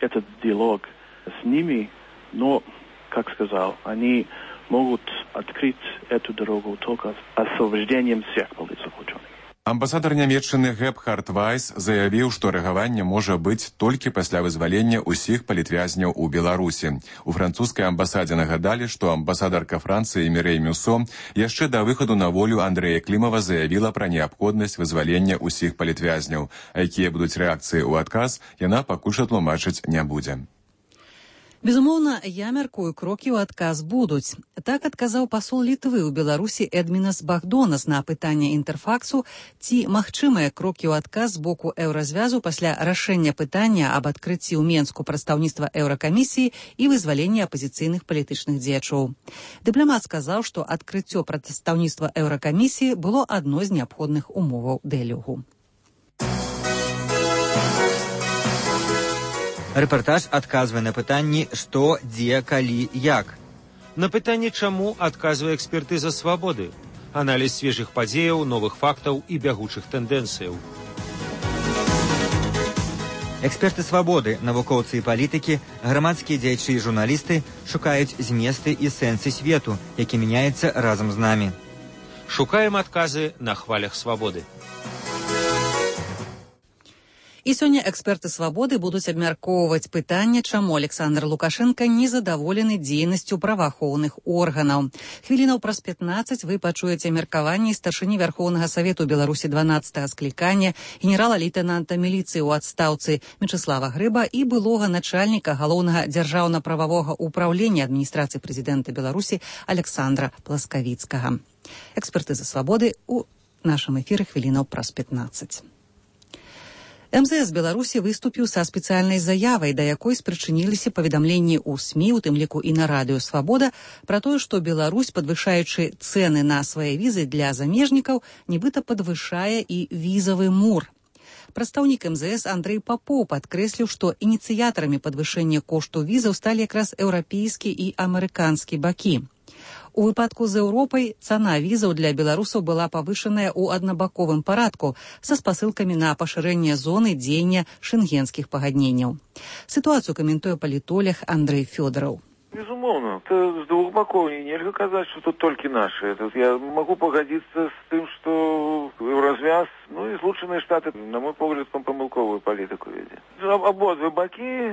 этот диалог с ними, но, как сказал, они могут открыть эту дорогу только освобождением всех политзаключенных. Амбасадар Нямецчыны Гебхард Вайс заявіў, што рэагаванне можа быць толькі пасля вызвалення ўсіх палітвязняў у Беларусі. У французскай амбасадзе нагадалі, што амбасадарка Францыі Мірэй Мюсо яшчэ да выхаду на волю Андрэя Клімава заявіла пра неабходнасць вызвалення ўсіх палітвязняў. А якія будуць рэакцыі ў адказ, яна пакуль што тлумачыць не будзе. Безумоўна, я мяркую, крокі ў адказ будуць. Так адказаў пасол Літвы ў Беларусі Эдмінас Багдонас на пытанне Інтэрфаксу, ці магчымыя крокі ў адказ з боку еўразвязу пасля рашэння пытання аб адкрыцці ў Менску прадстаўніцтва еўракамісіі і вызвалення апазіцыйных палітычных дзеячоў. Дыпламат сказаў, што адкрыццё прадстаўніцтва еўракамісіі было адной з неабходных умоваў дыялогу. Рэпартаж адказвае на пытанні «Што, дзе, калі, як?». На пытанне «Чаму?» адказвае экспертыза «Свабоды». Аналіз свежых падзеяў, новых фактаў і бягучых тэндэнцыяў. Эксперты «Свабоды», навукоўцы і палітыкі, грамадскія дзеячы і журналісты шукаюць зместы і сэнсы свету, які мяняецца разам з намі. Шукаем адказы на хвалях «Свабоды». І сёння эксперты «Свабоды» будуць абмяркоўваць пытанне, чаму Александр Лукашенко незадаволены дзейнасцю праваахоўных органаў. Хвілінаў праз 15 вы пачуеце меркаванне старшыні Вярхоўнага Савету Беларусі 12-го склікання генерала-лейтэнанта міліцыі ў адстаўцы Мячеслава Грыба і былога начальніка галоўнага дзяржаўна-прававога ўпраўлення адміністрацыі прэзідэнта Беларусі Александра Пласкавіцкага. Экспертыза «Свабоды» у нашым эфіры хвілінаў праз 15. МЗС Беларусі выступіў са спецыяльнай заявай, да якой спрычыніліся паведамленні ў СМІ, у тым ліку і на радыё «Свабода», пра тое, што Беларусь, падвышаючы цэны на свае візы для замежнікаў, нібыта падвышае і візавы мур. Прадстаўнік МЗС Андрэй Папоў падкрэсліў, што ініцыятарамі падвышэння кошту візаў сталі якраз еўрапейскі і амерыканскі бакі. У выпадку з Еўропай цана візаў для беларусаў была павышаная ў аднабаковым парадку са спасылкамі на пашырэнне зоны дзеяння шэнгенскіх пагадненняў. Сітуацыю каментуе палітолог Андрэй Фёдораў. Безумоўно, это с двух боков. Нельзя сказать, что тут только наши. Я могу погодиться с тем, что развяз, и Злученные Штаты, на мой погляд, помилковую политику ведет. Ободве боки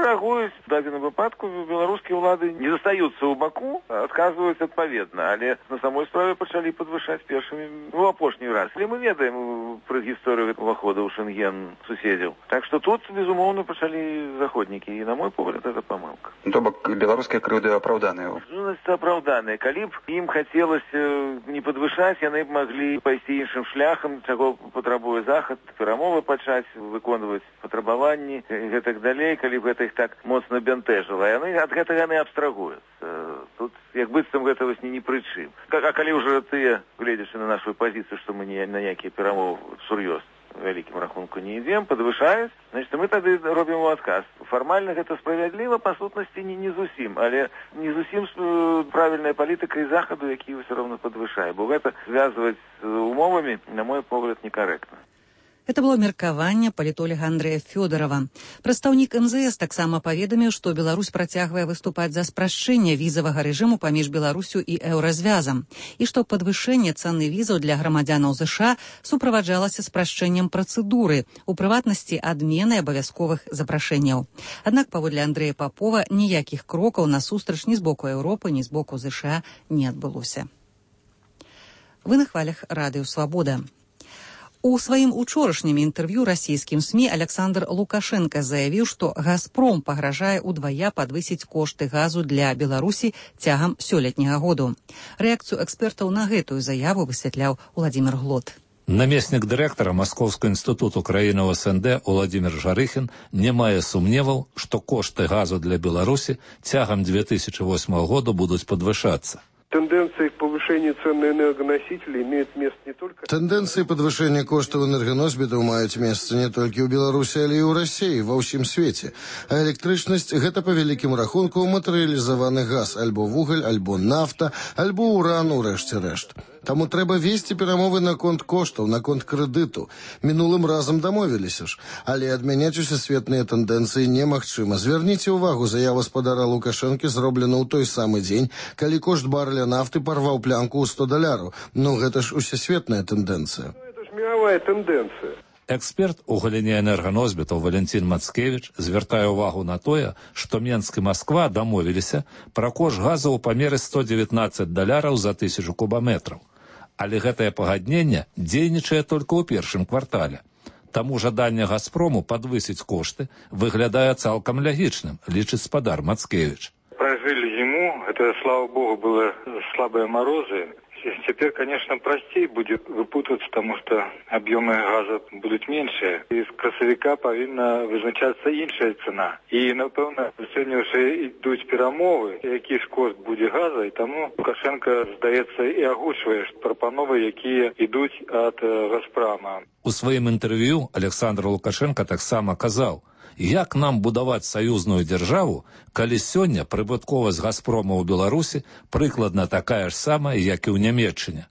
реагують в даному випадку. Білоруські влади не застаються у Баку, отказываются відповідно, але на самой справе почали підвищати першими в опошній раз. І ми ведаємо про історію виходу у Шенген сусідів. Так що тут, безумовно, почали заходники. І, на мой погляд, це помилка. То бок беларускія крыўды апраўданыя. Значит, апраўданыя. Калі б ім хацелася не падвышаць, яны б маглі пайсці іншым шляхам, чаго патрабуе захад, перамовы пачаць, выконваць патрабаванні і гэтак далей, калі б гэта іх так моцна бянтэжыла. Яны ад гэтага не абстрагуюцца. Тут як быццам гэта вось не пры чым. А калі ўжо тыя, гледзячы на нашу пазіцыю, што мы на ніякія перамовы сур'ёз вялікім рахунку не ідзем, падвышаюць, значит, мы тады робім у адказ. Фармальна гэта справядліва, па сутнасці не зусім, але не зусім правільная палітыка і захаду, які ўсё роўна падвышае, бо гэта звязваць з умовамі, на мой погляд, некарэктна. Это было меркаванне палітолага Андрэя Фёдорава. Прадстаўнік МЗС таксама паведаміў, што Беларусь працягвае выступаць за спрашчэнне візавага рэжыму паміж Беларусю і еўразвязам, і што падвышэнне цаны візаў для грамадзянаў ЗША суправаджалася спрашчэннем працэдуры, у прыватнасці адменай абавязковых запрашэнняў. Аднак, паводле Андрэя Папова, ніякіх крокаў насустрач ні з боку Еўропы, ні з боку ЗША не адбылося. Вы на хвалях Радыё Свабода. У сваім учорашнім інтэрв'ю расійскім СМІ Александр Лукашенко заявіў, што «Газпром» пагражае ўдвая падвысіць кошты газу для Беларусі цягам сёлетняга году. Рэакцыю экспертаў на гэтую заяву высвятляў Уладзімір Глот. Намеснік дырэктара Маскоўскага інстытуту краіны СНД Уладзімір Жарыхін не мае сумневаў, што кошты газу для Беларусі цягам 2008 года будуць падвышацца. Тенденции к повышению цен на энергоносители имеют место не только... Тенденции подвышения коштов энергоносьбитов имеют место не только у Беларуси, але и у России, во всем свете. А электричность – это по великим рахунку материализованный газ, альбо вуголь, альбо нафта, альбо уран, урэшце-рэшт. Таму трэба весці перамовы на конт коштаў, на конт крэдыту. Мінулым разам дамовіліся ж, але адмяняць усесветныя тэндэнцыі немагчыма. Звярніце ўвагу, заява спадара Лукашэнкі зроблена ў той самы дзень, калі кошт барэля нафты парваў плянку ў $100. Ну, гэта ж усесветная тэндэнцыя. Это ж мировая тэндэнцыя. Эксперт у галіне энерганосьбітаў Валентин Мацкевіч звяртае ўвагу на тое, што Менск і Масква дамовіліся пра кошт газу ў памеры $119 за 1000 кубаметраў. Але гэтае пагадненне дзейнічае толькі ў першым квартале. Таму жаданне «Газпрому» падвысіць кошты выглядае цалкам лягічным, лічыць спадар Мацкевіч. Прожили зиму, это, слава богу, было слабые морозы. Теперь, конечно, простей будет выпутаться, потому что объемы газа будут меньше. И с красовика повинна визначаться іншая цена. И, напевно, сьогодні вже йдуть перемови, який ж кошт буде газу, і тому Лукашенко, здається, і агучує пропанови, які йдуть від «Газпрома». У сваім інтэрв'ю Александр Лукашенко таксама казаў, як нам будаваць саюзную дзяржаву, калі сёння прыбытковасць «Газпрома» ў Беларусі прыкладна такая ж самая, як і ў Нямецчыне.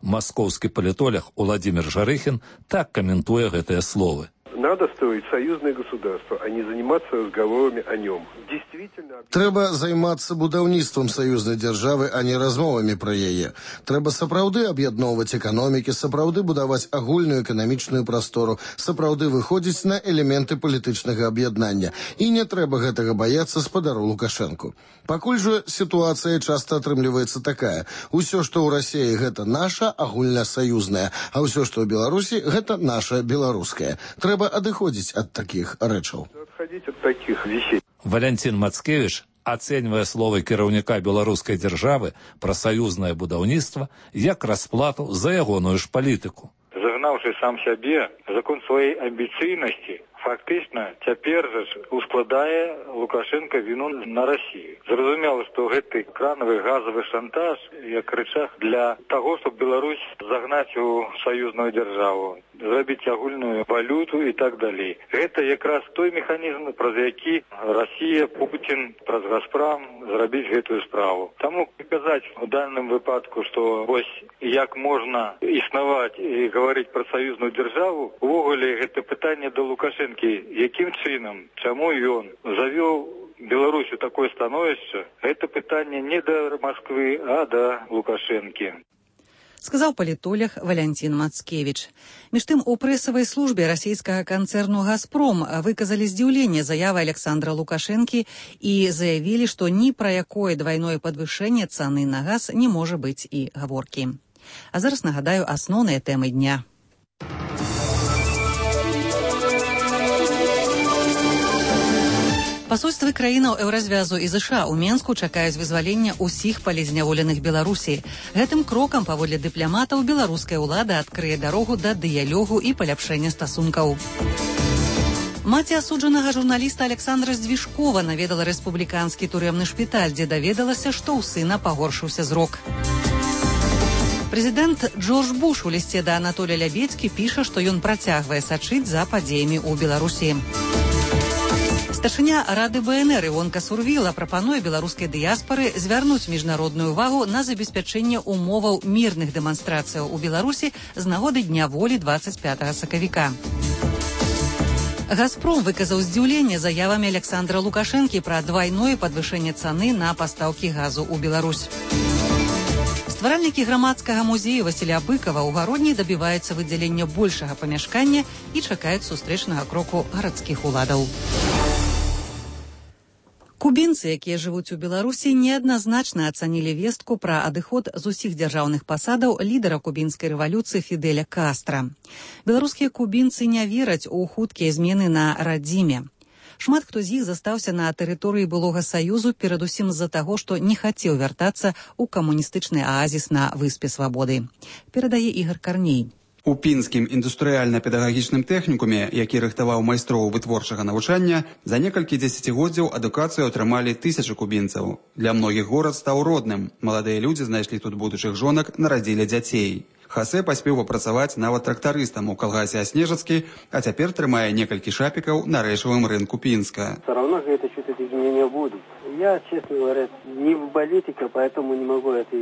Маскоўскі палітолог Уладзімір Жарыхін так каментуе гэтыя словы. Надо строить союзное государство, а не заниматься разговорами о нем. Действительно... Трэба займацца будаўніцтвам саюзнай дзяржавы, а не размовамі пра яе. Трэба сапраўды аб'ядноўваць эканомікі, сапраўды будаваць агульную эканамічную прастору, сапраўды выходзіць на элементы палітычнага аб'яднання. І не трэба гэтага баяцца спадару Лукашэнку. Пакуль жа сітуацыя часта атрымліваецца такая. Усё, што ў Расіі, гэта наша агульнасаюзнае, а ўсё, што ў Беларусі, гэта наша беларускае. Трэба адыходзіць ад такіх рэчаў. Адходить от таких вещей. Валентин Мацкевіч ацэньвае словы кіраўніка беларускай дзяржавы пра саюзнае будаўніцтва як расплату за ягоную ж палітыку. Загнаўшы сам сябе закон сваёй амбіцыйнасці, фактычна цяпер жа ускладае Лукашенко віну на Расію. Зразумела, што гэты кранавы газавы шантаж як рычаг для таго, щоб Беларусь загнаць у саюзную дзяржаву. зрабіць агульную валюту і так далей. Гэта якраз той механізм, праз які Расія, Путін, праз Газпром зрабіць гэтую справу. Таму казаць у данным выпадку, што вось як можна існаваць і гаварыць пра саюзную дзяржаву, увогуле гэта пытанне да Лукашэнкі, якім чынам, чаму ён завёў Беларусь у такое становішча, гэта пытанне не да Москвы, а да Лукашэнкі. Сказаў палітолог Валянцін Мацкевіч. Між тым, у прэсавай службе расійскага канцэрну «Газпром» выказалі здзіўленне заявы Александра Лукашэнкі і заявілі, што ні пра якое двайное падвышэнне цаны на газ не можа быць і гаворкі. А зараз нагадаю асноўныя тэмы дня. Пасольствы краінаў Еўразвязу і ЗША ў Менску чакаюць вызвалення ўсіх палізняволеных Беларусі. Гэтым крокам, паводле дыпламатаў, беларуская ўлада адкрые дарогу да дыялогу і паляпшэння стасункаў. Маці асуджанага журналіста Александра Здвижкова наведала рэспубліканскі турэмны шпіталь, дзе даведалася, што ў сына пагоршыўся зрок. Прэзідэнт Джордж Буш у лісце да Анатолія Лябедзькі піша, што ён працягвае сачыць за падзеямі ў Беларусі. Старшыня Рады БНР Івонка Сурвіла прапануе беларускай дыяспары звярнуць міжнародную увагу на забеспячэнне умоваў мірных дэманстрацыяў у Беларусі з нагоды Дня волі 25 сакавіка. «Газпром» выказаў здзіўленне заявамі Александра Лукашэнкі пра двайное падвышэнне цаны на пастаўкі газу ў Беларусь. Стваральнікі грамадскага музею Васіля Быкава ў Гародні дабіваюцца выдзялення большага памяшкання і чакаюць сустрэчнага кроку гарадскіх уладаў. Кубінцы, якія жывуць у Беларусі, неадназначна ацанілі вестку пра адыход з усіх дзяржаўных пасадаў лідара кубінскай рэвалюцыі Фідэля Кастра. Беларускія кубінцы не вераць у хуткія змены на радзіме. Шмат хто з іх застаўся на тэрыторыі былога Саюзу перадусім з-за таго, што не хацеў вяртацца ў камуністычны аазіс на выспе Свабоды. Перадае Ігар Карней. У пінскім індустрыяльна-педагагічным тэхнікуме, які рыхтаваў майстроў вытворчага навучання, за некалькі дзесяцігоддзяў адукацыю атрымалі тысячы кубінцаў. Для многіх горад стаў родным. Маладыя людзі знайшлі тут будучых жонак, нарадзілі дзяцей. Хасе паспеў папрацаваць нават трактарыстам у калгасе Аснежацкі, а цяпер трымае некалькі шапікаў на рэчавым рынку Пінска. Все равно это что-то изменения будут. Я, честно говоря, не в политика, поэтому не могу это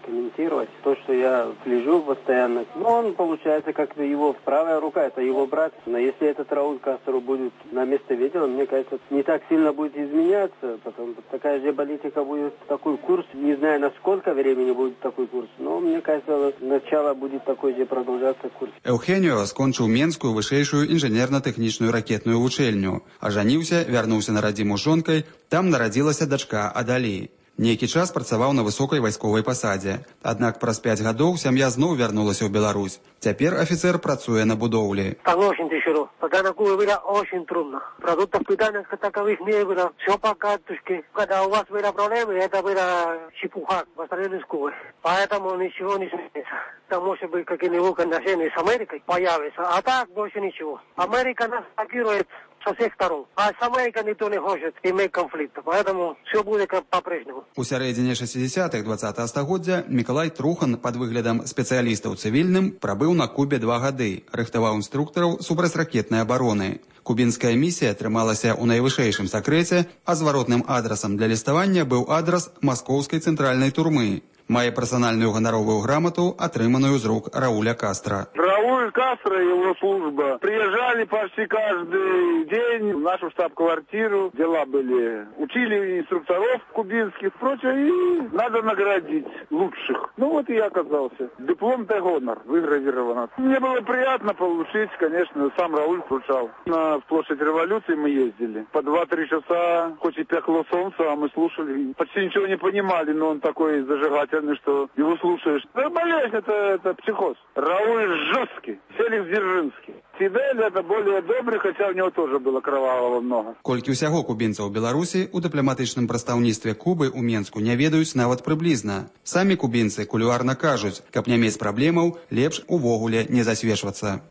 комментировать. То, что я слежу постоянно, но он, получается, как его правая рука, это его брат. Но если этот Рауль Кастро будет на место Ветева, мне кажется, не так сильно будет изменяться. Потом такая же политика будет, такой курс. Не знаю, на сколько времени будет такой курс, но мне кажется, начало будет такой же продолжаться курс. Эўхеніо скончыў Менскую вышэйшую інжынерна-тэхнічную ракетную вучэльню. Ажаніўся, вярнуўся на радзіму з жонкай, там нарадзілася дачка Адалі. Нейкі час працаваў на высокай вайсковай пасадзе. Аднак праз 5 гадоў сям'я зноў вярнулася ў Беларусь. Цяпер афіцер працуе на будоўлі. Очень тяжело. Пока на Кубе было очень трудно. Продуктов питания таковых не было. Все по карточке. Когда у вас были проблемы, это была чепуха по сравнению с Кубой. Поэтому ничего не сменится. Там может быть какие-нибудь отношения с Америкой появятся. А так больше ничего. Америка нас блокирует со всех сторон. А с Америкой никто не хочет иметь конфликт. Поэтому все будет как по-прежнему. У сярэдзіне 60-х 20-го стагоддзя Мікалай Трухан пад выглядам спецыяліста ў цывільным прабыў на Кубе 2 гады, рыхтаваў інструктараў супрацьракетнай абароны. Кубінская місія трымалася ў найвышэйшым сакрэце, а зваротным адрасам для ліставання быў адрас маскоўскай цэнтральнай турмы. Мае персональную гоноровую грамоту, отрыманную из рук Рауля Кастро. Рауль Кастро и его служба приезжали почти каждый день в нашу штаб-квартиру. Дела были. Учили инструкторов кубинских, прочее, и надо наградить лучших. Ну вот и я оказался. Диплом де гонор выгравировано. Мне было приятно получить, конечно, сам Рауль вручал. На площадь революции мы ездили. По 2-3 часа, хоть и пекло солнце, а мы слушали. Почти ничего не понимали, но он такой зажигательный, что его слушаешь. Да, болезнь, это психоз. Рауль жесткий, Феликс Дзержинский. Фидель это более добрый, хотя у него тоже было кровавого много. Колькі ўсяго кубінцаў у Беларусі у дыпламатычным прадстаўніцтве Кубы ў Менску не ведаюць нават прыблізна. Самі кубінцы кулуарна кажуць, каб не мець праблемаў, лепш увогуле не засвечвацца.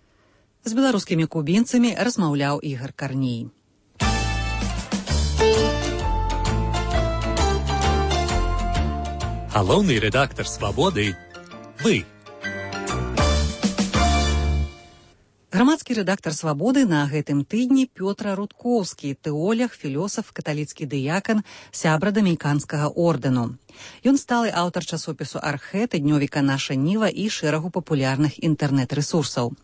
З беларускімі кубінцамі размаўляў Ігар Карней. Галоўны рэдактар «Свабоды» – вы. Грамадскі рэдактар «Свабоды» на гэтым тыдні Пётр Рудкоўскі, тэолог, філосаф, каталіцкі дыякан, сябра дамініканскага ордэну. Ён сталы аўтар часопісу «Архэ», тыднёвіка «Наша Ніва» і шэрагу папулярных інтэрнэт-рэсурсаў.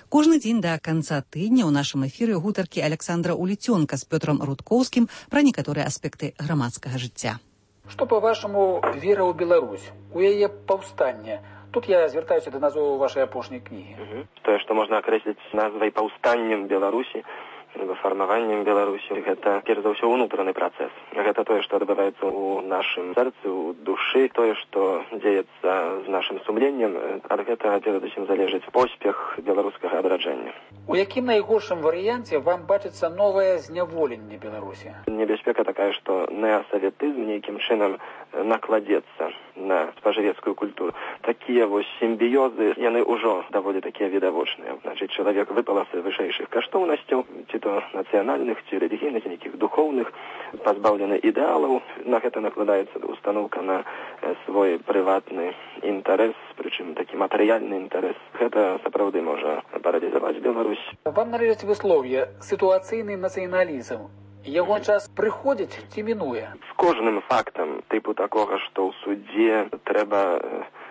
Кожны дзень да канца тыдня ў нашым эфіры гутаркі Александра Уліцёнка з Пётрам Рудкоўскім пра некаторыя аспекты грамадскага жыцця. Што, па-вашаму, вера ў Беларусь, у яе паўстанне? Тут я звяртаюся да назвы вашай апошняй кнігі. Тое, што можна акрэсліць назвай паўстаннем Беларусі, фармаваннем Беларусі, гэта, перш за ўсё, унутраны працэс. Гэта тое, што адбываецца ў нашым сэрцы, ў душы, тое, што дзеецца з нашым сумленнем, ад гэтага перадусім залежыць поспех беларускага адраджэння. У якім найгоршым варыянце вам бачыцца новае зняволенне Беларусі? Небяспека такая, што неасаветызм нейкім чынам накладзецца на спажывецкую культуру. Такія вось сімбіёзы, яны ўжо даволі такія відавочныя. Значыць, чалавек выпаласы вышэйшых каштоўнасцяў, ці то нацыянальных, ці рэлігійных, нейкіх духоўных, пазбаўлены ідэалаў. На гэта накладаецца устаноўка на свой прыватны інтарэс, прычым такі матэрыяльны інтарэс. Гэта сапраўды можа паралізаваць Беларусь. Вам належыць выслоўе «сітуацыйны нацыяналізм». Яго час прыходзіць ці мінуе? З кожным фактам тыпу такога, што ў судзе трэба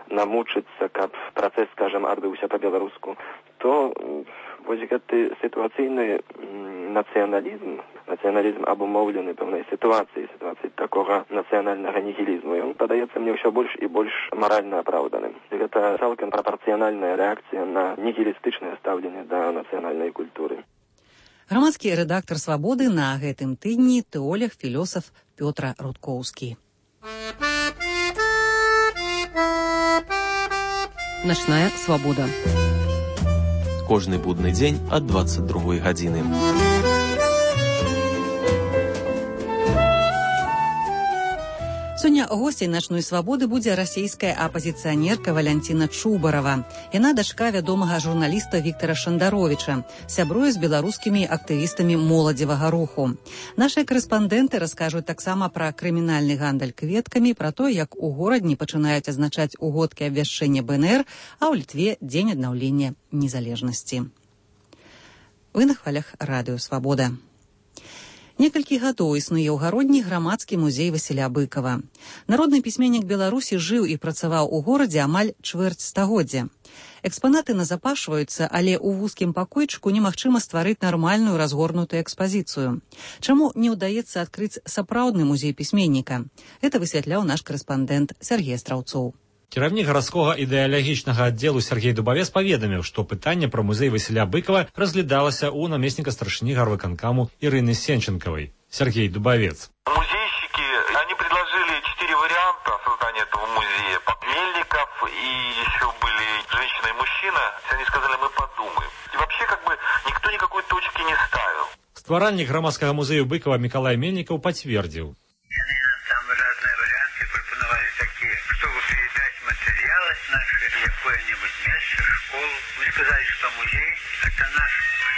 намучыцца, каб працэс, скажам, адбыўся па-беларуску, то вось гэты сітуацыйны нацыяналізм абумоўлены пэўнай сітуацыі такога нацыянальнага нігілізму, ён падаецца мне ўсё больш і больш маральна апраўданым. Гэта цалкам прапарцыянальная рэакцыя на нігілістычнае стаўленне да нацыянальнай культуры. Грамадскі рэдактар «Свабоды» на гэтым тыдні тэолог, філосаф Пётр Рудкоўскі. Начная свабода. Кожны будны дзень ад 22 гадзіны. Сёння госцей «Начной свабоды» будзе расійская апазіцыянерка Валянціна Чубарава. Яна дачка вядомага журналіста Віктара Шандаровіча, сябруе з беларускімі актывістамі моладзевага руху. Нашыя карэспандэнты раскажуць таксама пра крымінальны гандаль кветкамі, пра то, як у горадні пачынаюць азначаць угодкі абвяшчэння БНР, а ў Літве дзень аднаўлення незалежнасці. Вы на хвалях радыё «Свабода». Некалькі гадоў існуе ў гародні грамадскі музей Васіля Быкава. Народны пісьменнік Беларусі жыў і працаваў у горадзе амаль чвэрць стагоддзя. Экспанаты назапашваюцца, але ў вузкім пакойчыку немагчыма стварыць нармальную разгорнутую экспазіцыю. Чаму не ўдаецца адкрыць сапраўдны музей пісьменніка? Гэта высвятляў наш карэспандэнт Сергей Страўцоў. Кіраўнік гарадскога ідэалагічнага аддзелу Сергей Дубавец паведаміў, што пытанне пра музей Васіля Быкава разглядалася ў намесніка старшыні гарвыканкаму Ирины Сенченковой. Сергей Дубавец. Музейщики, они предложили 4 варианта создания этого музея. Мельников и еще были женщина и мужчина. Они сказали, мы подумаем. И вообще никто никакой точки не ставил. Стваральнік грамадскага музею Быкова Миколай Мельников подтвердил. Наши какое-нибудь место, школу. Вы сказали, что музей – это наш,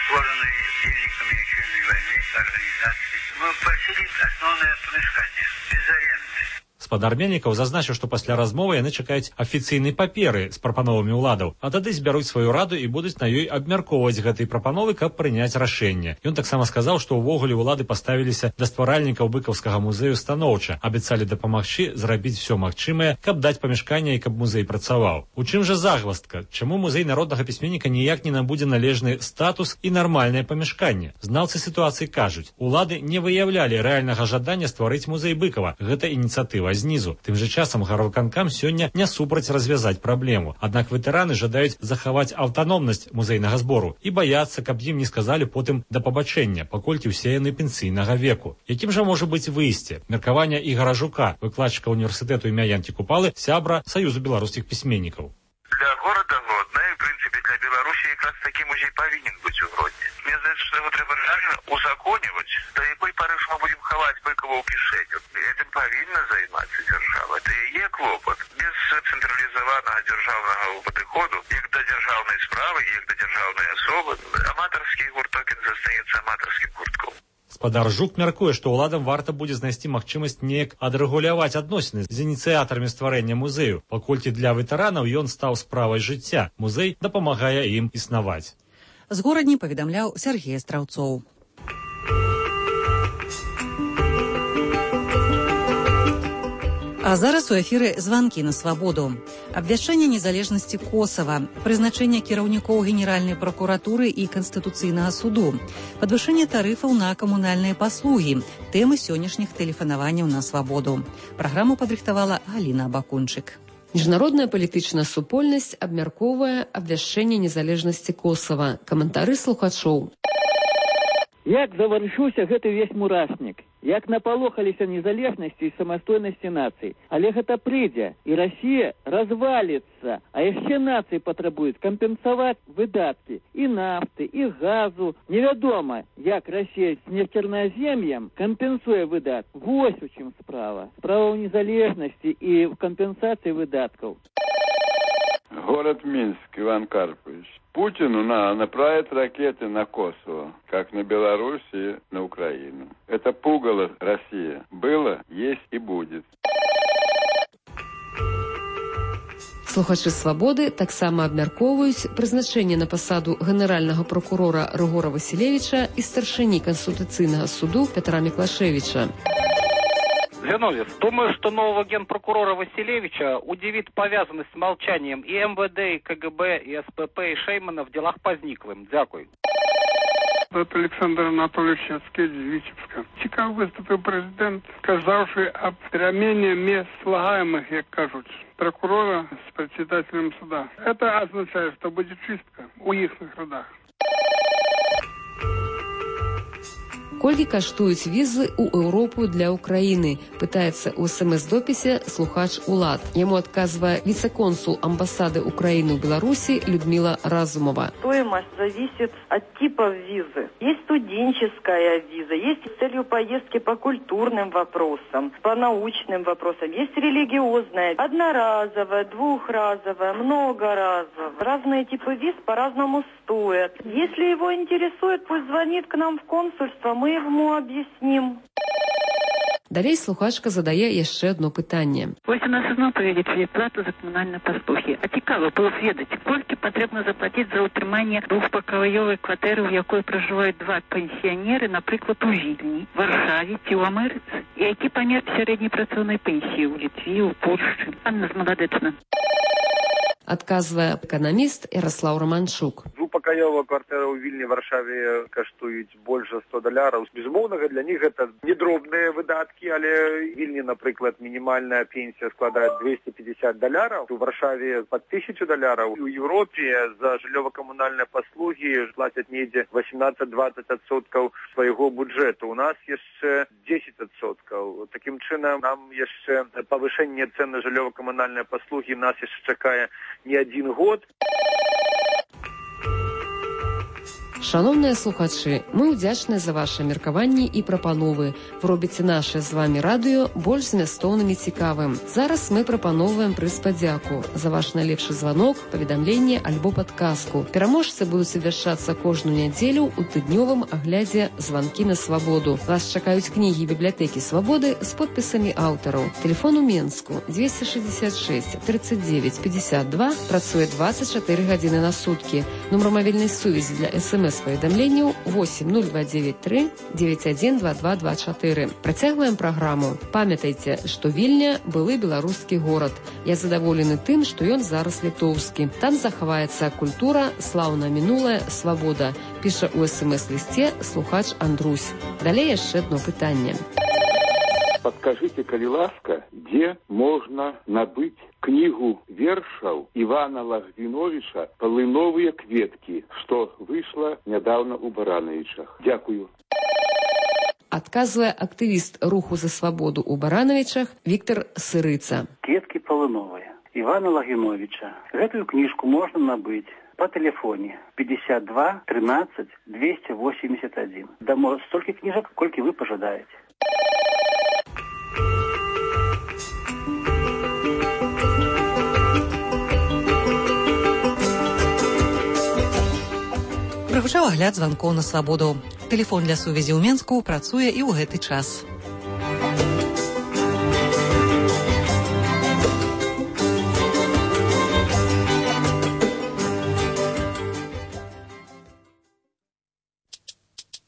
створенный Великой Отечественной войны организации. Мы просили основное помешание, без аренды. Спадар Мельнікаў зазначыў, што пасля размовы яны чакаюць афіцыйнай паперы з прапановамі ўладаў, а тады збяруць сваю раду і будуць на ёй абмяркоўваць гэтыя прапановы, каб прыняць рашэнне. Ён таксама сказаў, што ўвогуле ўлады паставіліся да стваральнікаў быкаўскага музею станоўча, абяцалі дапамагчы зрабіць усё магчымае, каб даць памяшканне і каб музей працаваў. У чым жа загваздка? Чаму музей народнага пісьменніка ніяк не набудзе належны статус і нармальнае памяшканне? Знаўцы сітуацыі кажуць, улады не выяўлялі рэальнага жадання стварыць музей Быкава. Гэта ініцыятыва знізу. Тым жа часам гарвыканкам сёння не супраць развязаць праблему. Аднак ветэраны жадаюць захаваць аўтаномнасць музейнага збору і баяцца, каб ім не сказалі потым да пабачэння, паколькі ўсе яны пенсійнага веку. Якім жа можа быць выйсце? Меркаванне Ігара Жука, выкладчыка універсітэту імя Янкі Купалы, сябра Саюзу беларускіх пісьменнікаў. Для города Гродно и, в принципе, для Беларуси как раз таки музей повинен быть в Гродне. Мне кажется, что его треба реально узаконивать. До якой поры мы будем ховать Быкова у кишень? Этим повинна заниматься держава. Это и есть клопот. Без централизованного державного подходу, як до державной справы, як до державной особы, аматорский гурток застанется аматорским гуртком. Спадар Жук мяркуе, што ўладам варта будзе знайсці магчымасць неяк адрэгуляваць адносіны з ініцыятарамі стварэння музею, паколькі для ветэранаў ён стаў справай жыцця. Музей дапамагае ім існаваць. З горадні паведамляў Сергей Страўцоў. А зараз у эфіры званкі на свабоду. Абвяшчэнне незалежнасці Косава, прызначэнне кіраўнікоў Генеральнай пракуратуры і Канстытуцыйнага суду, падвышэнне тарыфаў на камунальныя паслугі, тэмы сённяшніх тэлефанаванняў на свабоду. Праграму падрыхтавала Галіна Абакунчык. Міжнародная палітычная супольнасць абмяркоўвае абвяшчэнне незалежнасці Косава. Каментары слухачоў. Як заварушыўся гэты ўвесь мурашнік, як напалохаліся незалежнасці і самастойнасці нацый. Але гэта прыйдзе, і Расія разваліцца. А яшчэ нацыі патрабуюць кампенсаваць выдаткі і нафты, і газу. Невядома, як Расія з нефтерназем'ем кампенсуе выдаткі. Вось у чым справа. Справа ў незалежнасці і в кампенсацыі выдаткаў. Город Минск, Иван Карпович. Путину надо направить ракеты на Косово, как на Беларусь и на Украину. Это пугало Россия. Было, есть и будет. Слухачы «Свабоды» таксама абмяркоўваюць прызначэнне на пасаду генеральнага прокурора Рыгора Васілевіча і старшыні Конституцыйнага суду Петра Миклашевича. Зиновьев, думаю, что нового генпрокурора Василевича удивит повязанность с молчанием и МВД, и КГБ, и СПП, и Шеймана в делах по зниклым. Дякую. Это Александр Анатольевич Яцкевич з Витебска. Цікаво виступив президент, сказавши об перемене мест слагаемых, як кажуть, прокурора с председателем суда. Это означает, что будет чистка у ихних родах. Колькі каштуюць візы ў Еўропу для Украины? Пытается у СМС-дописе слухач Улад. Ему отказывая вице-консул амбассады Украины в Беларуси Людмила Разумова. Стоимость зависит от типа визы. Есть студенческая виза, есть с целью поездки по культурным вопросам, по научным вопросам, есть религиозная, одноразовая, двухразовая, многоразовая. Разные типы виз по-разному стоят. Если его интересует, пусть звонит к нам в консульство, мы ему объясним. Далей слухачка задае яшчэ одно пытанне. Вось у нас зноў павялічылі плату за камунальныя паслугі. А цікава было ведаць, колькі патрэбна заплаціць за ўтрыманне двухпакаёвай кватэры, у якой пражываюць два пенсіянеры, напрыклад, у Вільні, Варшаве ці ў Амерыцы. І які памер сярэдняй працоўнай пенсіі ў Літве, у Польшчы. Анна Змаладэчна. Адказвае эканаміст Ярослав Романчук. Двухпакаёвая кватэра ў Вільні, Варшаве каштуюць больш за $100. Безумоўна, для них гэта недробныя выдаткі, але Вільні, напрыклад, мінімальная пенсія складае $250. У Варшаве пад $1000. У Еўропе за жыллёва-камунальныя паслугі плацяць недзе 18-20% свайго бюджэту. У нас яшчэ 10%. Такім чынам, нам яшчэ павышэнне цен на жыллёва-камунальныя паслугі нас яшчэ чакае не один год. Шановныя слухачы, мы ўдзячныя за ваши меркаванні і прапановы. Вы робіце наше з вами радыё больш змястоўным і цікавым. Зараз мы прапаноўваем прыз падзяку за ваш найлепшы званок, паведамленне альбо падказку. Пераможцы будуць абвяшчацца кожную нядзелю ў тыднёвым аглядзе «Званкі на свабоду». Вас чакаюць кнігі бібліятэкі Свабоды з подпісамі аўтараў. Телефон у Менску 266 39 52, працуе 24 гадзіны на суткі. Нумар мабільнай сувязі для СМС-паведамленняў 8023 912224. Працягваем праграму. Памятайце, што Вільня былы беларускі горад. Я задаволены тым, што ён зараз літоўскі. Там захаваецца культура, слаўна мінулая, свабода. Піша у СМС-лісце слухач Андрусь. Далей яшчэ одно пытанне. Подскажите, коли ласка, где можно набыть книгу вершаў Ивана Лагвиновича «Полыновые кветки», что вышло недавно у Барановичах? Дякую. Отказывая активист руху за свободу у Барановичах Виктор Сырыца. «Кветки полыновые» Ивана Лагвиновича. Эту книжку можно набыть по телефоне 52 13 281. Дамо столько книжек, сколько вы пожадаете. Прагучаў агляд званкоў на свабоду. Тэлефон для сувязі ў Менску працуе і ў гэты час.